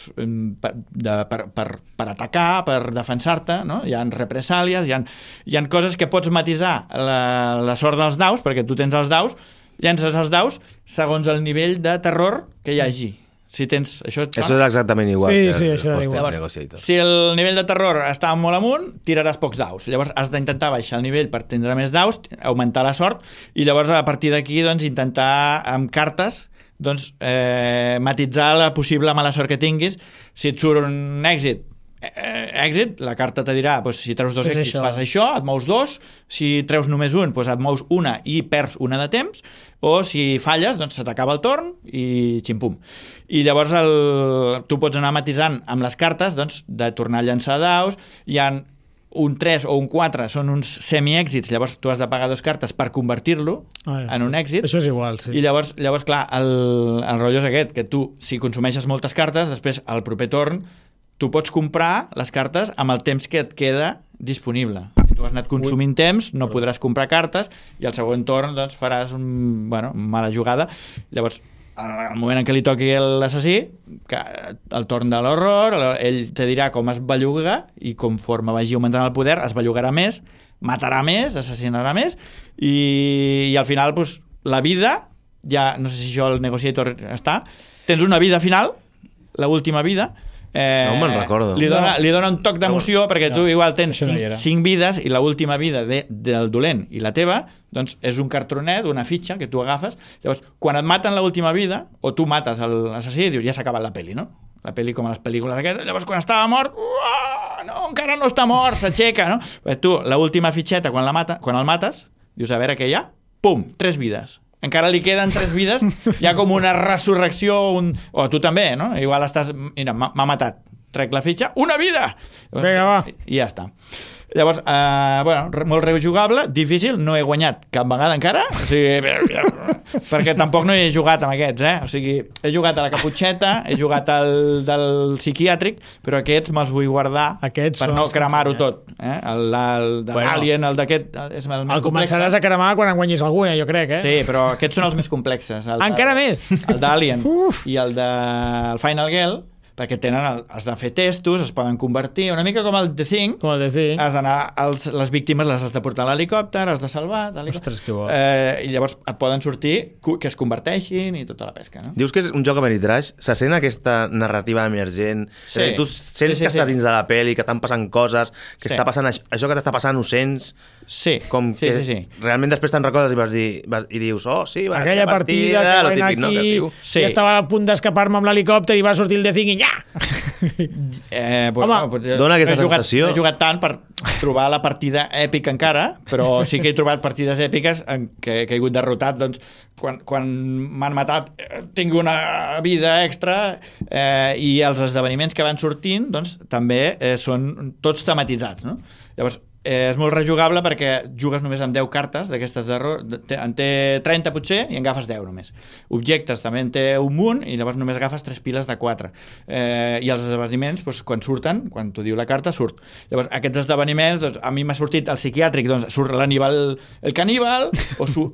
per atacar, per defensar-te, no? Hi ha represàlies, hi ha coses que pots matisar la sort dels daus, perquè tu tens els daus, llences els daus segons el nivell de terror que hi hagi. Si tens això és exactament igual. Sí, això és igual. Si el nivell de terror està molt amunt, tiraràs pocs daus. Llavors has d'intentar baixar el nivell per tindre més daus, augmentar la sort, i llavors a partir d'aquí doncs, intentar amb cartes doncs, matitzar la possible mala sort que tinguis. Si et surt un èxit, la carta te dirà si treus 2 èxits fas això, et mous 2, si treus només un et mous una i perds una de temps, o si falles doncs se t'acaba el torn i ximpum. I llavors tu pots anar matisant amb les cartes doncs, de tornar a llançar daus. Hi ha un 3 o un 4 són uns semi-èxits, llavors tu has de pagar 2 cartes per convertir-lo en un èxit. Això és igual, sí. I llavors clar, el rotllo és aquest, que tu, si consumeixes moltes cartes, després al proper torn tu pots comprar les cartes amb el temps que et queda disponible. Si tu has anat consumint temps, no podràs comprar cartes i al segon torn doncs, faràs mala jugada. Llavors, al moment en què li toqui l'assassí, el torn de l'horror, ell te dirà com es belluga i conforme vagi augmentant el poder es bellugarà més, matarà més, assassinarà més i al final doncs, la vida, ja no sé si això el Negotiator està, tens una vida final, l'última vida, no me'n recordo. Li dona un toc d'emoció perquè tu igual tens 5 vides i l'última vida del dolent i la teva doncs és un cartronet, una fitxa que tu agafes. Llavors, quan et maten l'última vida o tu mates l'assassí, dius, ja s'ha acabat la pel·li, no? La pel·li com a les pel·lícules aquestes. Llavors, quan estava mort, no, encara no està mort, s'aixeca, no? Tu, l'última fitxeta, quan el mates, dius, a veure què hi ha? Pum, 3 vides. Encara li queden 3 vides, hi ha com una resurrecció, o tu també, no? Igual estàs, mira, m'ha matat, trec la fitxa, una vida! Vinga, va. I ja està. Llavors, molt rejugable, difícil, no he guanyat cap vegada encara, o sigui, perquè tampoc no he jugat amb aquests, O sigui, he jugat a la Caputxeta, he jugat al del psiquiàtric, però aquests me'ls vull guardar per no cremar-ho tot. El de l'Alien, el d'aquest, és el més complex. El començaràs a cremar quan en guanyis alguna, jo crec, Sí, però aquests són els més complexes. Encara més? El d'Alien i el de Final Girl, perquè has de fer testos, es poden convertir, una mica com el The Thing, Com el de fer. has d'anar, les víctimes les has de portar a l'helicòpter, has de salvar, Ostres, que bo. I llavors et poden sortir que es converteixin i tota la pesca, no? Dius que és un joc Ameritrash, se sent aquesta narrativa emergent, tu sents que estàs dins de la pel·li, que estan passant coses, que està passant això que t'està passant ho sents, com que realment després te'n recordes i dius, aquella partida que típic, no? I estava a punt d'escapar-me amb l'helicòpter i va sortir el The Thing i ja! Dona aquesta sensació. No he jugat tant per trobar la partida èpica encara, però sí que he trobat partides èpiques en què he caigut derrotat, doncs, quan m'han matat tinc una vida extra i els esdeveniments que van sortint doncs, també són tots tematitzats, no? Llavors, és molt rejugable perquè jugues només amb 10 cartes d'aquestes d'error, en té 30 potser i en agafes 10 només. Objectes també en té un munt i llavors només agafes 3 piles de 4. I els esdeveniments, doncs, quan surten, quan t'ho diu la carta, surt. Llavors, aquests esdeveniments, doncs, a mi m'ha sortit el psiquiàtric, doncs surt l'Aníbal el caníbal,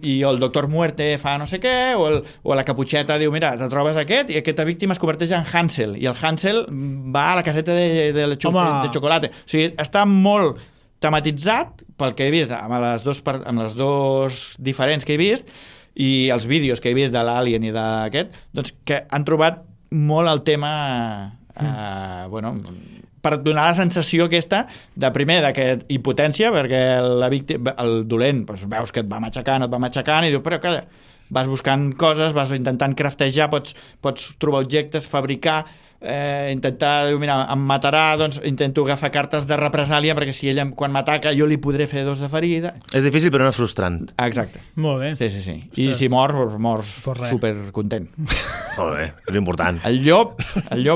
i el doctor Muerte fa no sé què, o la Caputxeta diu, mira, te trobes aquest i aquesta víctima es converteix en Hansel, i el Hansel va a la caseta de xocolata. O sigui, està molt tematitzat pel que he vist amb les dos diferents que he vist i els vídeos que he vist de l'Alien i d'aquest, doncs que han trobat molt el tema per donar la sensació aquesta de primer d'aquest impotència, perquè el dolent doncs, veus que et va matxacant i diu, però calla, vas buscant coses, vas intentant craftejar, pots trobar objectes, fabricar, intentar, mira, em matarà, doncs intento agafar cartes de represàlia perquè si ella quan m'ataca jo li podré fer 2 de ferida. És difícil però no és frustrant. Exacte. Molt bé. Sí. I si mors supercontent. Molt bé, és important. El llop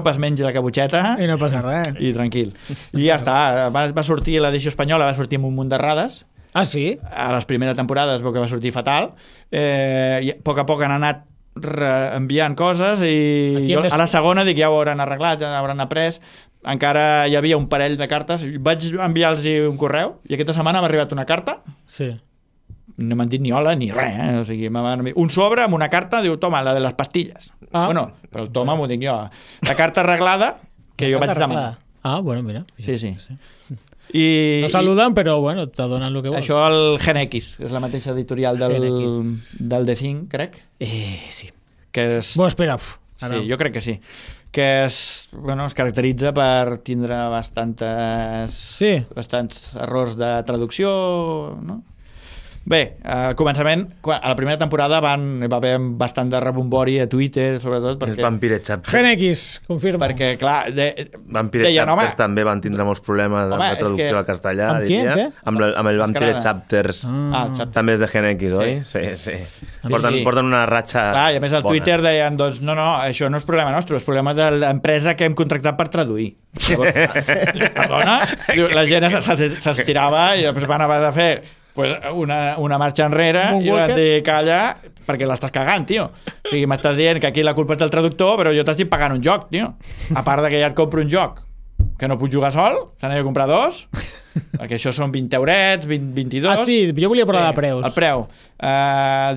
es menja la caputxeta i no passa res. I tranquil. I ja està, va sortir l'edició espanyola, va sortir amb un munt d'errades. Ah, sí? A les primeres temporades es veu que va sortir fatal. I a poc han anat enviant coses i jo, a la segona dic ja ho hauran arreglat, ja ho hauran après. Encara hi havia un parell de cartes, vaig enviar-los un correu i aquesta setmana m'ha arribat una carta. Sí. No m'han dit ni hola ni res, o sigui, un sobre amb una carta, diu, toma, la de les pastilles. Bueno, però el toma m'ho dic jo. La carta arreglada que jo vaig demanar. Ah, bueno, mira. Sí. No saluden, però bueno, te donen el que vols. Això el Gen X, és la mateixa editorial del The Thing, crec. Sí. Que és... Bueno, espera. Sí, jo crec que sí. Que es caracteritza per tindre bastants errors de traducció, no? Bé, al començament, a la primera temporada va haver bastant de rebombori a Twitter, sobretot perquè... Vampire Chapters. Gen X, confirma. Perquè, clar... Vampire Chapters també van tindre molts problemes de traducció al castellà, diria. Amb el Vampire Chapters. També és de Gen X, oi? Sí. Porten una ratxa... Clar, i a més al Twitter deien, doncs, no, això no és problema nostre, és problema de l'empresa que hem contractat per traduir. Perdona? La gent se'ls tirava i després van haver de fer una marxa enrere i van dir, calla, perquè l'estàs cagant, tio. O sigui, m'estàs dient que aquí la culpa és del traductor, però jo t'estic pagant un joc, tio. A part de que ja et compro un joc que no puc jugar sol, te n'he de comprar 2, perquè això són 20 eurets, 22... Ah, sí, jo volia parlar de preus. El preu.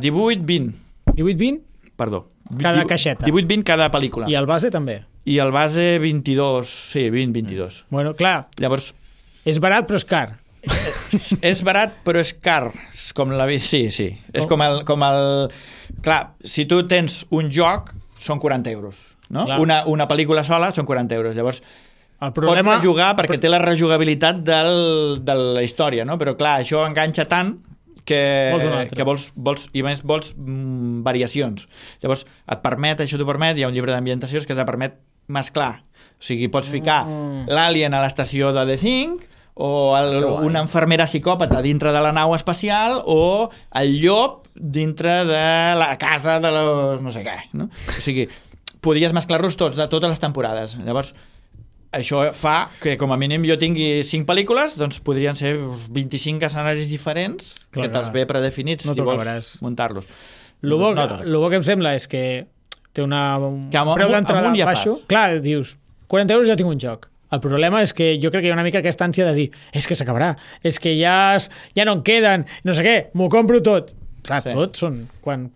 18-20. 18-20? Perdó. Cada caixeta. 18-20 cada pel·lícula. I el base també? I el base 22. Sí, 20-22. Bueno, clar. Llavors... És barat, però és car. És barat però és car, com la vida. Sí. És com el... Clar, si tu tens un joc són 40 euros, no? Una pel·lícula sola són 40 euros. Llavors el problema... pots rejugar perquè té la rejugabilitat de la història, no? Però clar, això enganxa tant que vols i més vols variacions. Llavors això t'ho permet, hi ha un llibre d'ambientacions que te permet mesclar. O sigui, pots ficar l'Alien a l'estació de The Thing o una infermera psicòpata dintre de la nau espacial o el llop dintre de la casa de los no sé què, no? O sigui, podries mesclar-los tots, de totes les temporades. Llavors, això fa que com a mínim jo tingui 5 pel·lícules, doncs podrien ser 25 escenaris diferents que te'ls ve predefinits si vols muntar-los. El bo que em sembla és que té un preu d'entrada baixo. Clar, dius, 40 euros ja tinc un joc. El problema és que jo crec que hi ha una mica aquesta ànsia de dir és que s'acabarà, és que ja no en queden, no sé què, m'ho compro tot. clar, Sí. tots són...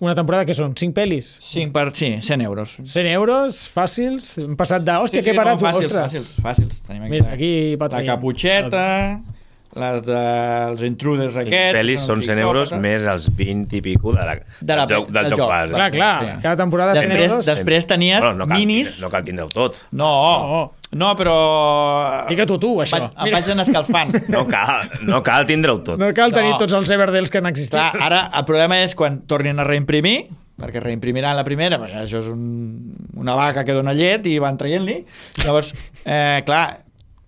Una temporada que són 5 pel·lis? 100 euros. 100 euros, fàcils, hem passat de... Hòstia, que barat, ostres! Fàcils. Tenim aquí, Mira, aquí va la traient. Caputxeta, les dels intruders aquests... Pel·lis són 100 euros més els 20 i pico del joc base. Clar, Sí. cada temporada 100 euros. Després tenies Bueno, minis... No cal tindre-ho tot. No, però... Digue-t'ho tu, això. Em vaig anar escalfant. No cal tindre-ho tot. No cal tenir No. tots els Everdels que han existit. Clar, ara el problema és quan tornin a reimprimir, perquè reimprimiran la primera, perquè això és una vaca que dona llet i van traient-li. Llavors, clar,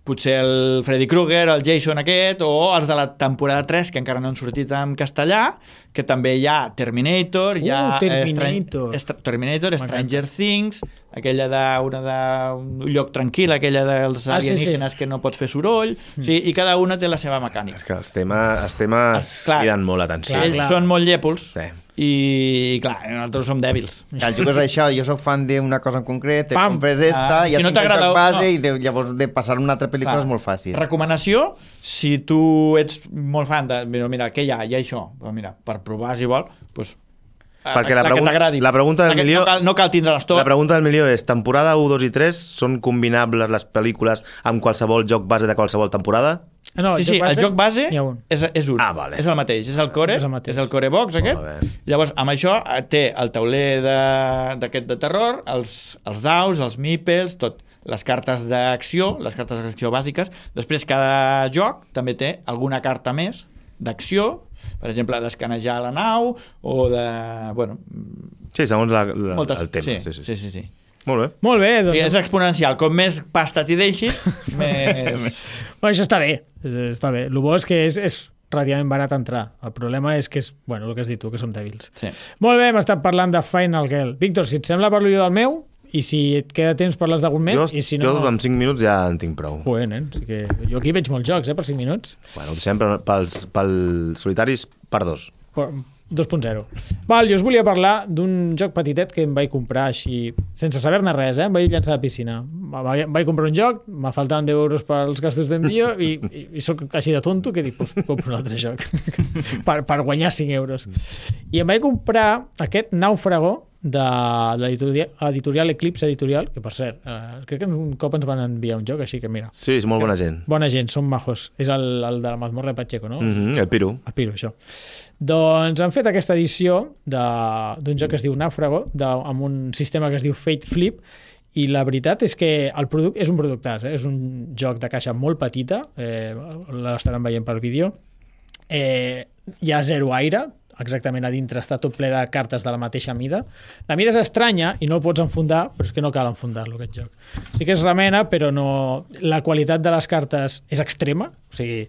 potser el Freddy Krueger, el Jason aquest, o els de la temporada 3, que encara no han sortit en castellà, que també hi ha Terminator, hi ha Terminator. Terminator, Stranger Things, aquella d'un lloc tranquil, aquella dels alienígenes que no pots fer soroll, sí, i cada una té la seva mecànica. És que els temes criden molt l'atenció. Ells són molt llèpols, Sí. i clar, nosaltres som dèbils. El joc és això, jo sóc fan d'una cosa en concret, te compres esta, Si ja no tinc el t'agrada, joc base no. i llavors de passar una altra pel·lícula és molt fàcil. Recomanació, si tu ets molt fan de... Mira, què hi ha? Hi ha això. Però mira, per provar, si vol, doncs... Perquè la que t'agradi. la pregunta del milió... No cal tindre-les tot. La pregunta del milió és, temporada 1, 2 i 3 són combinables les pel·lícules amb qualsevol joc base de qualsevol temporada? No, Sí, el joc base n'hi ha un. és un. Ah, vale. És el mateix, és el core, És el mateix. és el core box aquest. Molt bé. Llavors, amb això té el tauler d'aquest de terror, els daus, els meeples, tot. Les cartes d'acció, les cartes d'acció bàsiques. Després, cada joc també té alguna carta més d'acció, per exemple, d'escanejar la nau o de... Bueno, Sí, segons moltes... el tema. Sí. Molt bé. Molt bé, doncs... Sí, és exponencial. Com més pasta t'hi deixis, més... Bueno, això està bé. Està bé. El bo és que és relativament barat entrar. El problema és que és, bueno, el que has dit tu, que som dèbils. Sí. Molt bé, hem estat parlant de Final Girl. Víctor, si et sembla parlo jo del meu, i si et queda temps parles d'algun més, i si no... Jo amb 5 minuts ja en tinc prou. Joder, nen, sí que... Jo aquí veig molts jocs, per 5 minuts. Bueno, ho deixem pels solitaris per 2. 2.0. Val, jo us volia parlar d'un joc petitet que em vaig comprar així, sense saber-ne res, em vaig llançar a la piscina. Em vaig comprar un joc, me faltaven 10 euros pels gastos d'envio i soc així de tonto que dic, pues, compro un altre joc per guanyar 5 euros. I em vaig comprar aquest Náufrago de l'editorial Eclipse Editorial, que per cert, crec que un cop ens van enviar un joc, així que mira. Sí, és molt bona gent. Bona gent, són majos. És el de la mazmorra de Pacheco, no? El Piru. El Piru, això. Doncs han fet aquesta edició d'un joc que es diu Náufrago, amb un sistema que es diu Fate Flip, i la veritat és que el producte és un productàs, és un joc de caixa molt petita, l'estaran veient per vídeo, hi ha zero aire, exactament a dintre està tot ple de cartes de la mateixa mida. La mida és estranya i no el pots enfundar, però és que no cal enfundar-lo, aquest joc. Sí que es remena, però no... La qualitat de les cartes és extrema, o sigui,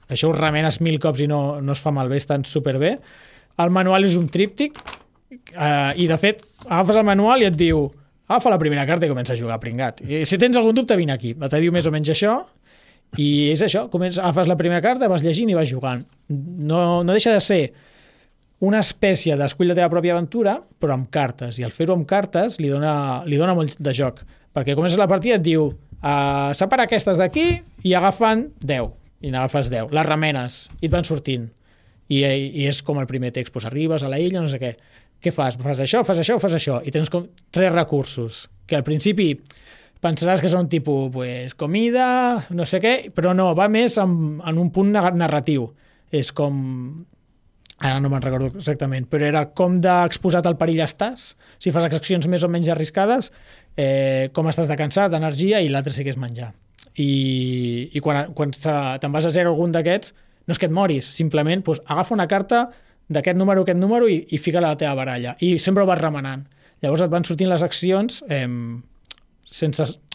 això ho remenes 1000 cops i no es fa malbé, estan superbé. El manual és un tríptic i, de fet, agafes el manual i et diu agafa la primera carta i comença a jugar, pringat. I si tens algun dubte, vine aquí. Te diu més o menys això, i és això, agafes la primera carta, vas llegint i vas jugant. No deixa de ser una espècie d'escull la teva pròpia aventura, però amb cartes, i al fer-ho amb cartes li dona molt de joc, perquè comences la partida i et diu separa aquestes d'aquí i agafen 10, i n'agafes 10, les remenes i et van sortint, i és com el primer text, doncs arribes a la illa, no sé què fas? Fas això, i tens com 3 recursos, que al principi pensaràs que són tipus pues, comida, no sé què, però no, va més en un punt narratiu, és com... Ara no me'n recordo exactament, però era com d'exposat al perill estàs, si fas accions més o menys arriscades, com estàs de cansat, d'energia, i l'altre sí que és menjar. I quan te'n vas a zero algun d'aquests, no és que et moris, simplement pues, agafa una carta d'aquest número i fica-la a la teva baralla, i sempre ho vas remenant. Llavors et van sortint les accions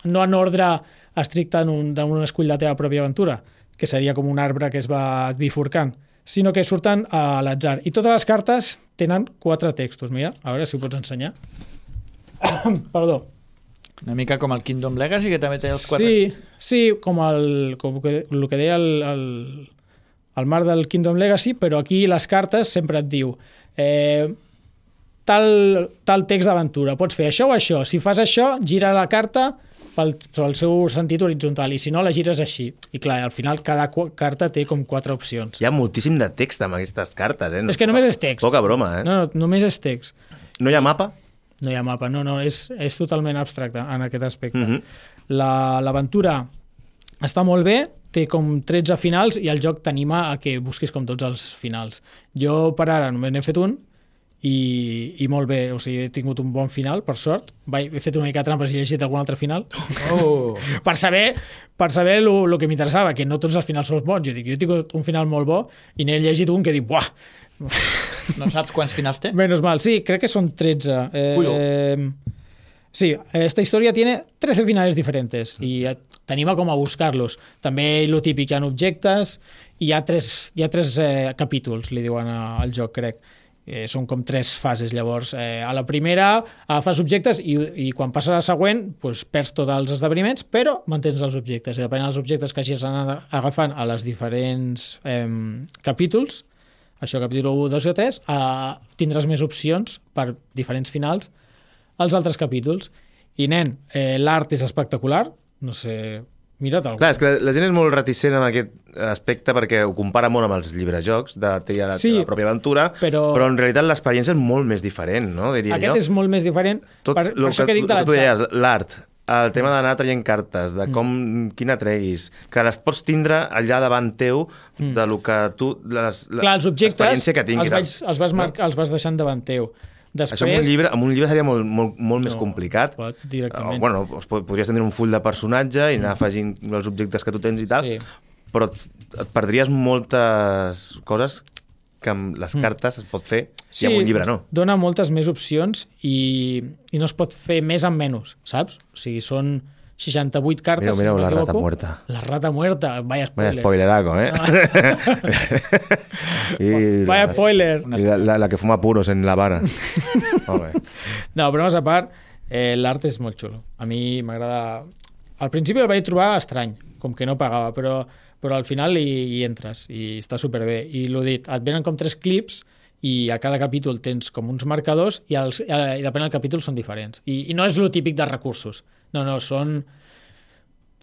no en ordre estricte d'un escull la teva pròpia aventura, que seria com un arbre que es va bifurcant, sinó que surten a l'atzar. I totes les cartes tenen 4 textos. Mira, a veure si ho pots ensenyar. Perdó. Una mica com el Kingdom Legacy, que també té els 4. Sí, com el que deia el Marc del Kingdom Legacy, però aquí les cartes sempre et diu tal text d'aventura, pots fer això o això. Si fas això, gira la carta pel seu sentit horitzontal, i si no la gires així. I clar, al final cada carta té com 4 opcions. Hi ha moltíssim de text amb aquestes cartes, És que només és text. Poca broma, No, només és text. No hi ha mapa? No hi ha mapa, és totalment abstracte en aquest aspecte. L'aventura està molt bé, té com 13 finals i el joc t'anima a que busquis com tots els finals. Jo per ara només n'he fet un i molt bé, o sigui, he tingut un bon final, per sort. He fet una mica de trampes i he llegit algun altre final. Per saber el que m'interessava, que no tots els finals són bons. Jo he tingut un final molt bo i n'he llegit un que dic, buah! No saps quants finals té? Menos mal, sí, crec que són 13. Sí, esta historia tiene 13 finales diferentes y t'anima com a buscar-los. També lo típic, hi ha objectes i hi ha tres capítols, li diuen al joc, crec. Són com 3 fases, llavors. A la primera agafes objectes i quan passes a la següent pues, perds tots els esdeveniments, però mantens els objectes. I depenent dels objectes que hagis anat agafant a les diferents capítols, això capítol 1, 2 o 3, tindràs més opcions per diferents finals als altres capítols. I, nen, l'art és espectacular. No sé, mira't algú. Clar, és que la gent és molt reticent en aquest aspecte perquè ho compara molt amb els llibrejocs de triar la teva pròpia aventura, però en realitat l'experiència és molt més diferent, no? Diria Aquest jo. És molt més diferent. Per això que dic de l'atzar. L'art, el tema d'anar traient cartes, de quina treguis, que les pots tindre allà davant teu de lo que tu... Clar, els objectes que tinguis, els vas deixant davant teu. Després... Això amb un llibre seria molt més complicat. Directament. Bueno, podries tenir un full de personatge i anar afegint els objectes que tu tens i tal, però et perdries moltes coses que amb les cartes es pot fer i amb un llibre no. Dona moltes més opcions i no es pot fer més amb menys, saps? O sigui, són 68 cartes. Mira, la rata muerta. La rata muerta, vaya spoiler. Vaya spoileraco, Vaya spoiler. I la que fuma puros en La Habana. No, però més a part, l'art és molt xulo. A mi m'agrada... Al principi el vaig trobar estrany, com que no pagava, però al final hi entres i està superbé. I l'ho dit, et venen com 3 clips i a cada capítol tens com uns marcadors i depèn del capítol són diferents. I no és lo típic dels recursos. No, són...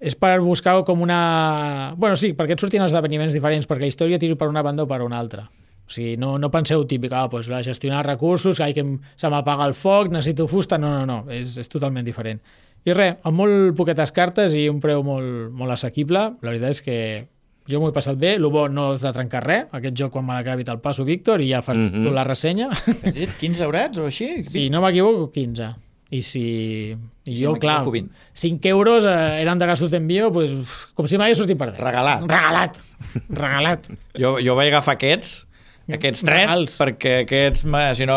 És per buscar com una... Bueno, sí, perquè et surtin esdeveniments diferents, perquè la història tiri per una banda o per una altra. O sigui, no penseu típic, pues, gestionar recursos, que se m'apaga el foc, necessito fusta... No, és totalment diferent. I res, amb molt poquetes cartes i un preu molt assequible, la veritat és que jo m'ho he passat bé. El bo no és de trencar res. Aquest joc, quan me l'acabi, te'l passo, Víctor, i ja fas tu la ressenya. Has dit 15 eurets o així? Si no m'equivoco, 15. I jo, clar, 5 euros eren de gastos d'envío, pues, com si m'hagués sortit per Regalat. Regalat. Jo vaig agafar aquests 3, perquè aquests, si no,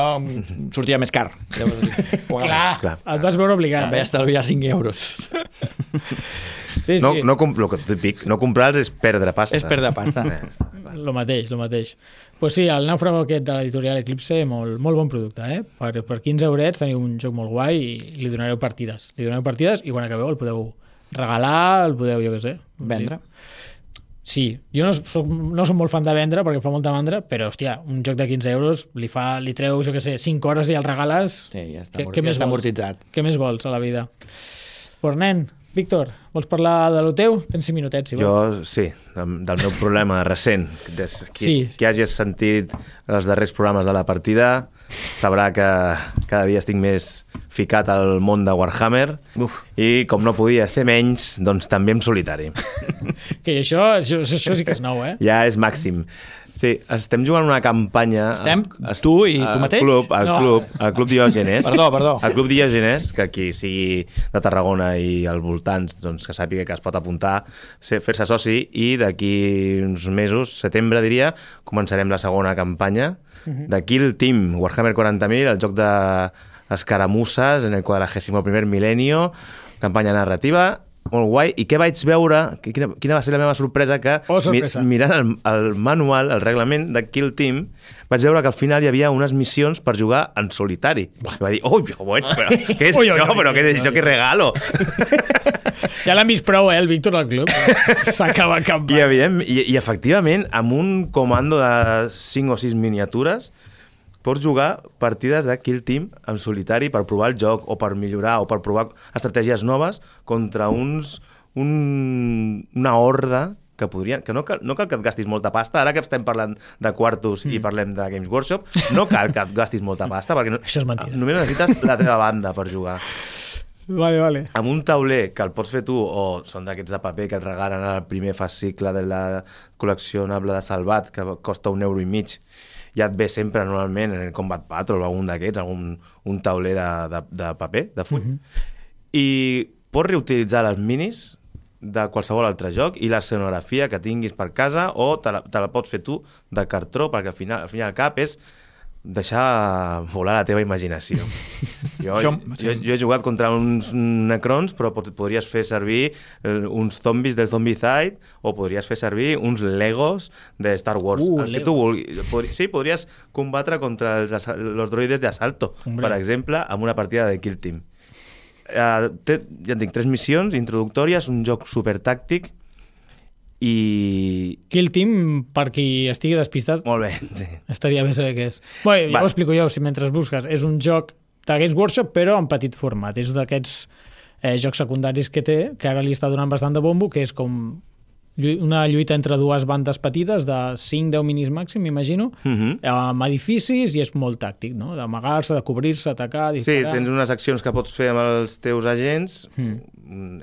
sortia més car. Clar, et vas veure obligat. Vaig estalviar 5 euros. Sí. No comprar-los és perdre pasta. És perdre pasta. Lo mateix. Pues sí, el nàufrago aquest de l'editorial Eclipse, molt bon producte, eh? Per 15 eurets teniu un joc molt guai i li donareu partides. I quan acabeu el podeu regalar, el podeu, jo què sé, vendre. Sí, jo no soc molt fan de vendre perquè fa molta mandra, però, hòstia, un joc de 15 euros li treu, jo què sé, 5 hores i el regales... Sí, ja està amortitzat. Què més vols a la vida? Pues, nen, Víctor, vols parlar de lo teu? Tens 5 minutets, si vols. Jo, sí, del meu problema recent. Qui hagi sentit els darrers programes de la partida sabrà que cada dia estic més ficat al món de Warhammer. I, com no podia ser menys, doncs també en solitari. Que això sí que és nou, eh? Ja és màxim. Sí, estem jugant una campanya... Tu i tu mateix? Al Club Diògenes. Perdó. Al Club Diògenes, que qui sigui de Tarragona i als voltants, doncs que sàpiga que es pot apuntar, fer-se soci, i d'aquí uns mesos, setembre diria, començarem la segona campanya de Kill Team, Warhammer 40.000, el joc d'escaramusses en el 41è mil·lenio, campanya narrativa, molt guai. I què vaig veure, quina va ser la meva sorpresa, que mirant el manual, el reglament de Kill Team, vaig veure que al final hi havia unes missions per jugar en solitari. I va dir, bueno, però què és això? Però què és això? Que regalo! Ja l'han vist prou, el Víctor al club. S'acaba campant. I efectivament, amb un comando de 5 o 6 miniatures, pots jugar partides de Kill Team en solitari per provar el joc o per millorar o per provar estratègies noves contra una horda que no cal que et gastis molta pasta. Ara que estem parlant de quartos i parlem de Games Workshop, no cal que et gastis molta pasta perquè Això és mentida. només necessites la teva banda per jugar. Vale. Amb un tauler que el pots fer tu, o són d'aquests de paper que et regalen al primer fascicle de la col·leccionable de Salvat, que costa €1,50, ja et ve sempre normalment en el Combat Patrol o algun d'aquests, un tauler de paper, de full. I pots reutilitzar les minis de qualsevol altre joc i l'escenografia que tinguis per casa, o te la pots fer tu de cartró, perquè al final al cap és deixar volar la teva imaginació. Jo he jugat contra uns necrons, però podries fer servir uns zombis del Zombicide, o podries fer servir uns Legos de Star Wars. El que tu vulguis. Sí, podries combatre contra els droides de Asalto, per exemple, amb una partida de Kill Team. Ja et dic, 3 missions introductòries, un joc supertàctic, i... Kill Team, per qui estigui despistat, molt bé, sí. Estaria bé saber què és. Bé, ja ho explico jo, si mentre busques. És un joc de Games Workshop, però en petit format. És d'aquests jocs secundaris que té, que ara li està donant bastant de bombo, que és com una lluita entre dues bandes petites de 5-10 minis màxim, m'imagino, amb edificis, i és molt tàctic, no? D'amagar-se, de cobrir-se, atacar, disparar... Sí, tens unes accions que pots fer amb els teus agents,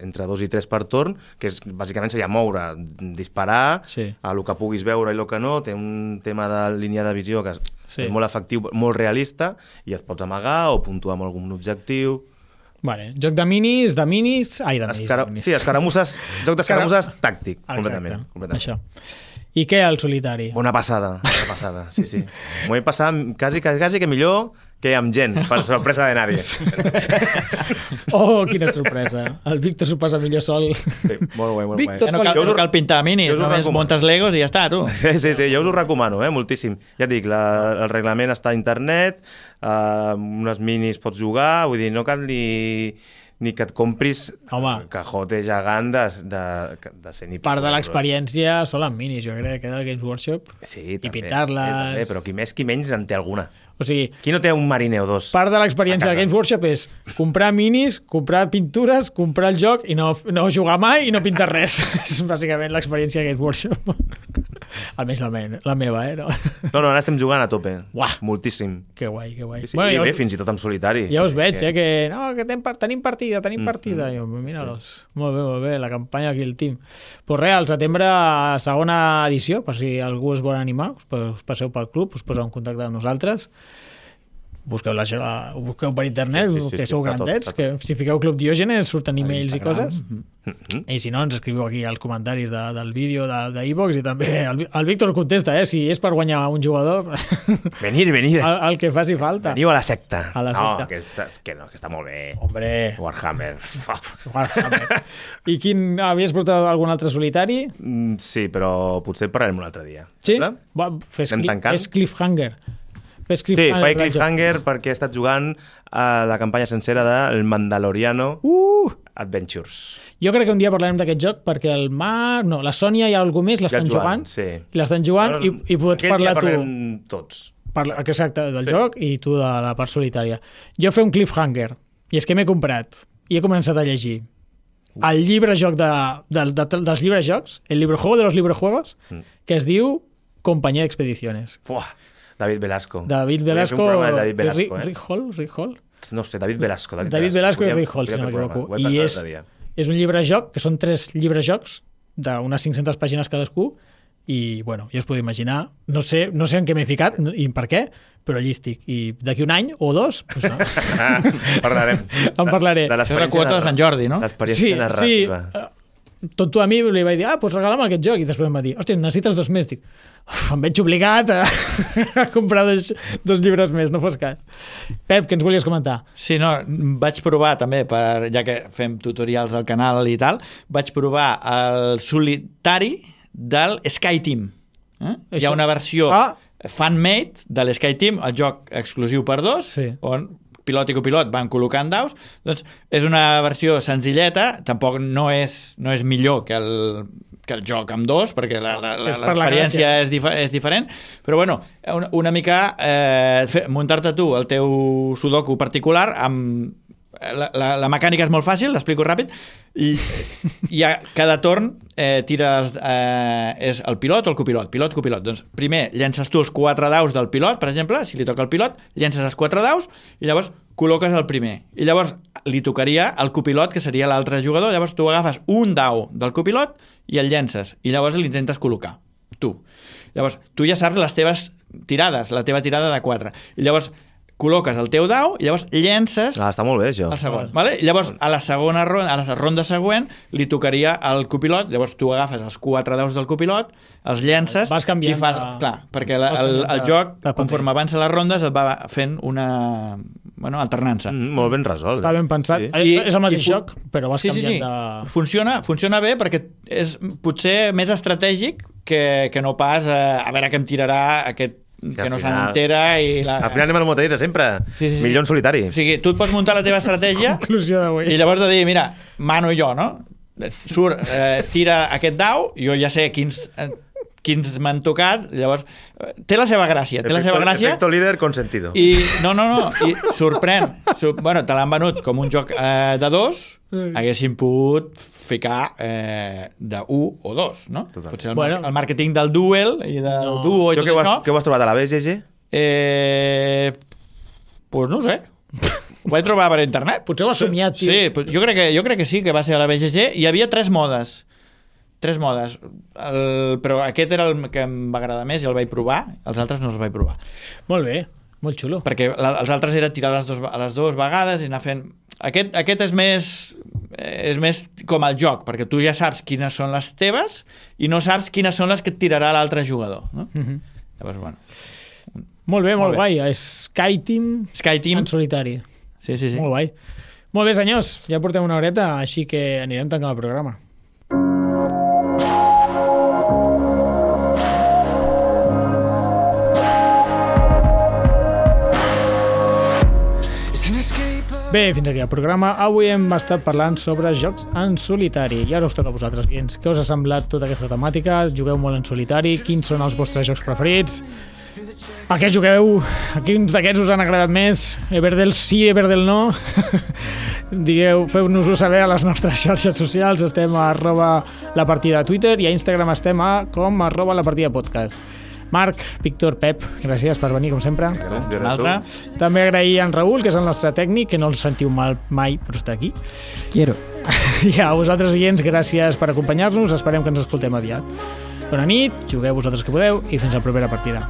entre 2 i 3 per torn, que bàsicament seria moure, disparar, a lo que puguis veure i el que no. Té un tema de línia de visió que és molt efectiu, molt realista, i et pots amagar o puntuar amb algun objectiu... Vale, joc de minis... Sí, escaramusses, joc d'escaramusses tàctic, completament. Això. I què, el solitari? Una passada, sí. M'ho he passat quasi que millor que amb gent, per sorpresa de nadie. Oh, quina sorpresa. El Víctor s'ho passa millor sol. Sí, molt guai. Víctor, no cal pintar minis, només muntes Legos i ja està, tu. Sí, jo us ho recomano, moltíssim. Ja et dic, el reglament està a internet, unes minis pots jugar, vull dir, no cal ni que et compris cajote gegant de 100 i pico. Part de l'experiència són les minis, jo crec, que del Games Workshop. Sí, i pintar-les... però qui més qui menys en té alguna. O sigui... Qui no té un mariner o dos? Part de l'experiència de Games Workshop és comprar minis, comprar pintures, comprar el joc i no jugar mai i no pintar res. És bàsicament l'experiència de Games Workshop. Almenys la meva, No, ara estem jugant a tope. Uah. Moltíssim. Que guai. Sí, bueno, i bé, fins i tot en solitari. Ja us veig, que tenim partida. Jo, mira-los. Molt bé, la campanya Kill Team. Pues res, al setembre, segona edició, per si algú es vol animar, us passeu pel club, us poseu en contacte amb nosaltres. Busqueu per internet, que sou grandets, que si fiqueu Club Diògenes surten emails i coses. I si no, ens escriviu aquí als comentaris del vídeo d'Evox, i també el Víctor contesta, si és per guanyar un jugador... Venir. El que faci falta. Veniu a la secta. No, que està molt bé. Hombre. Warhammer. I havies portat algun altre solitari? Sí, però potser parlarem un altre dia. Sí? Fes cliffhanger. Sí, faig cliffhanger perquè he estat jugant a la campanya sencera del Mandaloriano Adventures. Jo crec que un dia parlarem d'aquest joc perquè la Sònia i algú més l'estan jugant. Sí. I l'estan jugant i pots parlar tu. Parlem tots. Exacte, del joc i tu de la part solitària. Jo fer un cliffhanger, i és que m'he comprat i he començat a llegir el llibre joc dels llibres jocs, el librejuego de los librejuegos, que es diu Compañía de Expediciones. David Velasco. Rick Hall? No sé, David Velasco. David Velasco i Rick Hall, si no m'equivoco. I és un llibre joc, que són 3 llibres jocs d'unes 500 pàgines cadascú, i, bueno, ja us podeu imaginar, no sé en què m'he ficat i per què, però allí estic. I d'aquí un any o 2, doncs no. Parlarem. En parlaré. Això és la quota de Sant Jordi, no? L'experiència narrativa. Tonto a mi li vaig dir, doncs regala'm aquest joc, i després em va dir, hòstia, necessites 2 més. Dic, em veig obligat a comprar 2 llibres més, no fos cas. Pep, què ens volies comentar? Sí, no, vaig provar també, ja que fem tutorials al canal i tal, vaig provar el solitari del Sky Team. Hi ha una versió fan-made de l'Sky Team, el joc exclusiu per 2, on pilot i copilot van col·locant daus. Doncs és una versió senzilleta, tampoc no és millor que el joc amb dos, perquè És per la l'experiència és diferent, però bueno, una mica muntar-te tu el teu sudoku particular amb... La mecànica és molt fàcil, l'explico ràpid, i a cada torn tires és el pilot o el copilot, pilot-copilot. Doncs primer llences tu els 4 daus del pilot, per exemple, si li toca el pilot, llences els 4 daus i llavors col·loques el primer. I llavors li tocaria el copilot, que seria l'altre jugador, llavors tu agafes un dau del copilot i el llences, i llavors l'intentes col·locar, tu. Llavors, tu ja saps les teves tirades, la teva tirada de 4. I llavors col·loques el teu dau i llavors llences està molt bé, això. el segon. Vale? I llavors, a la segona ronda, a la ronda següent, li tocaria el copilot, llavors tu agafes els 4 daus del copilot, els llences vas canviant i fas... Clar, perquè el joc, conforme avança les rondes, et va fent una alternança. Molt ben resolt. Està ben pensat. Sí. És el mateix joc, però vas canviant de... Funciona bé perquè és potser més estratègic que no pas a veure què em tirarà aquest que no se n'entera i... Al final anem al motadit de sempre. Sí. Millor en solitari. O sigui, tu et pots muntar la teva estratègia i llavors de dir, mira, mano jo, no? Surt, tira aquest dau, jo ja sé quins m'han tocat, llavors té la seva gràcia, efecto líder consentido. I i sorprèn, bueno, te l'han venut com un joc de 2, haguessin pogut ficar de 1 o 2, no? Total. Potser el màrqueting del duel i del duo i tot això. Què ho has trobat a la BGG? Pues no ho sé. Ho vaig trobar per internet. Potser ho has somiat, tio. Sí, jo crec que sí, que va ser a la BGG. Hi havia 3 modes. Però aquest era el que em va agradar més i el vaig provar. Els altres no els vaig provar. Molt bé, molt xulo. Perquè els altres era tirar a les dues vegades i anar fent... Aquest és més com el joc, perquè tu ja saps quines són les teves i no saps quines són les que et tirarà l'altre jugador. No? Llavors, bueno... Molt bé, molt guai. Skyteam en solitari. Sí. Molt guai. Molt bé, senyors. Ja portem una horeta, així que anirem tancant el programa. Bé, fins aquí el programa. Avui hem estat parlant sobre jocs en solitari. I ara us toca a vosaltres, oients. Què us ha semblat tota aquesta temàtica? Jugueu molt en solitari? Quins són els vostres jocs preferits? A què jugueu? A quins d'aquests us han agradat més? Everdell sí, Everdell no? Digueu, feu-nos-ho saber a les nostres xarxes socials. Estem a @lapartida a Twitter i a Instagram estem com @lapartidapodcast. Marc, Víctor, Pep, gràcies per venir, com sempre. Gràcies. També agrair a en Raül, que és el nostre tècnic, que no el sentiu mal mai, però està aquí. Quiero. I a vosaltres, oients, gràcies per acompanyar-nos. Esperem que ens escoltem aviat. Bona nit, jugueu vosaltres que podeu i fins a la propera partida.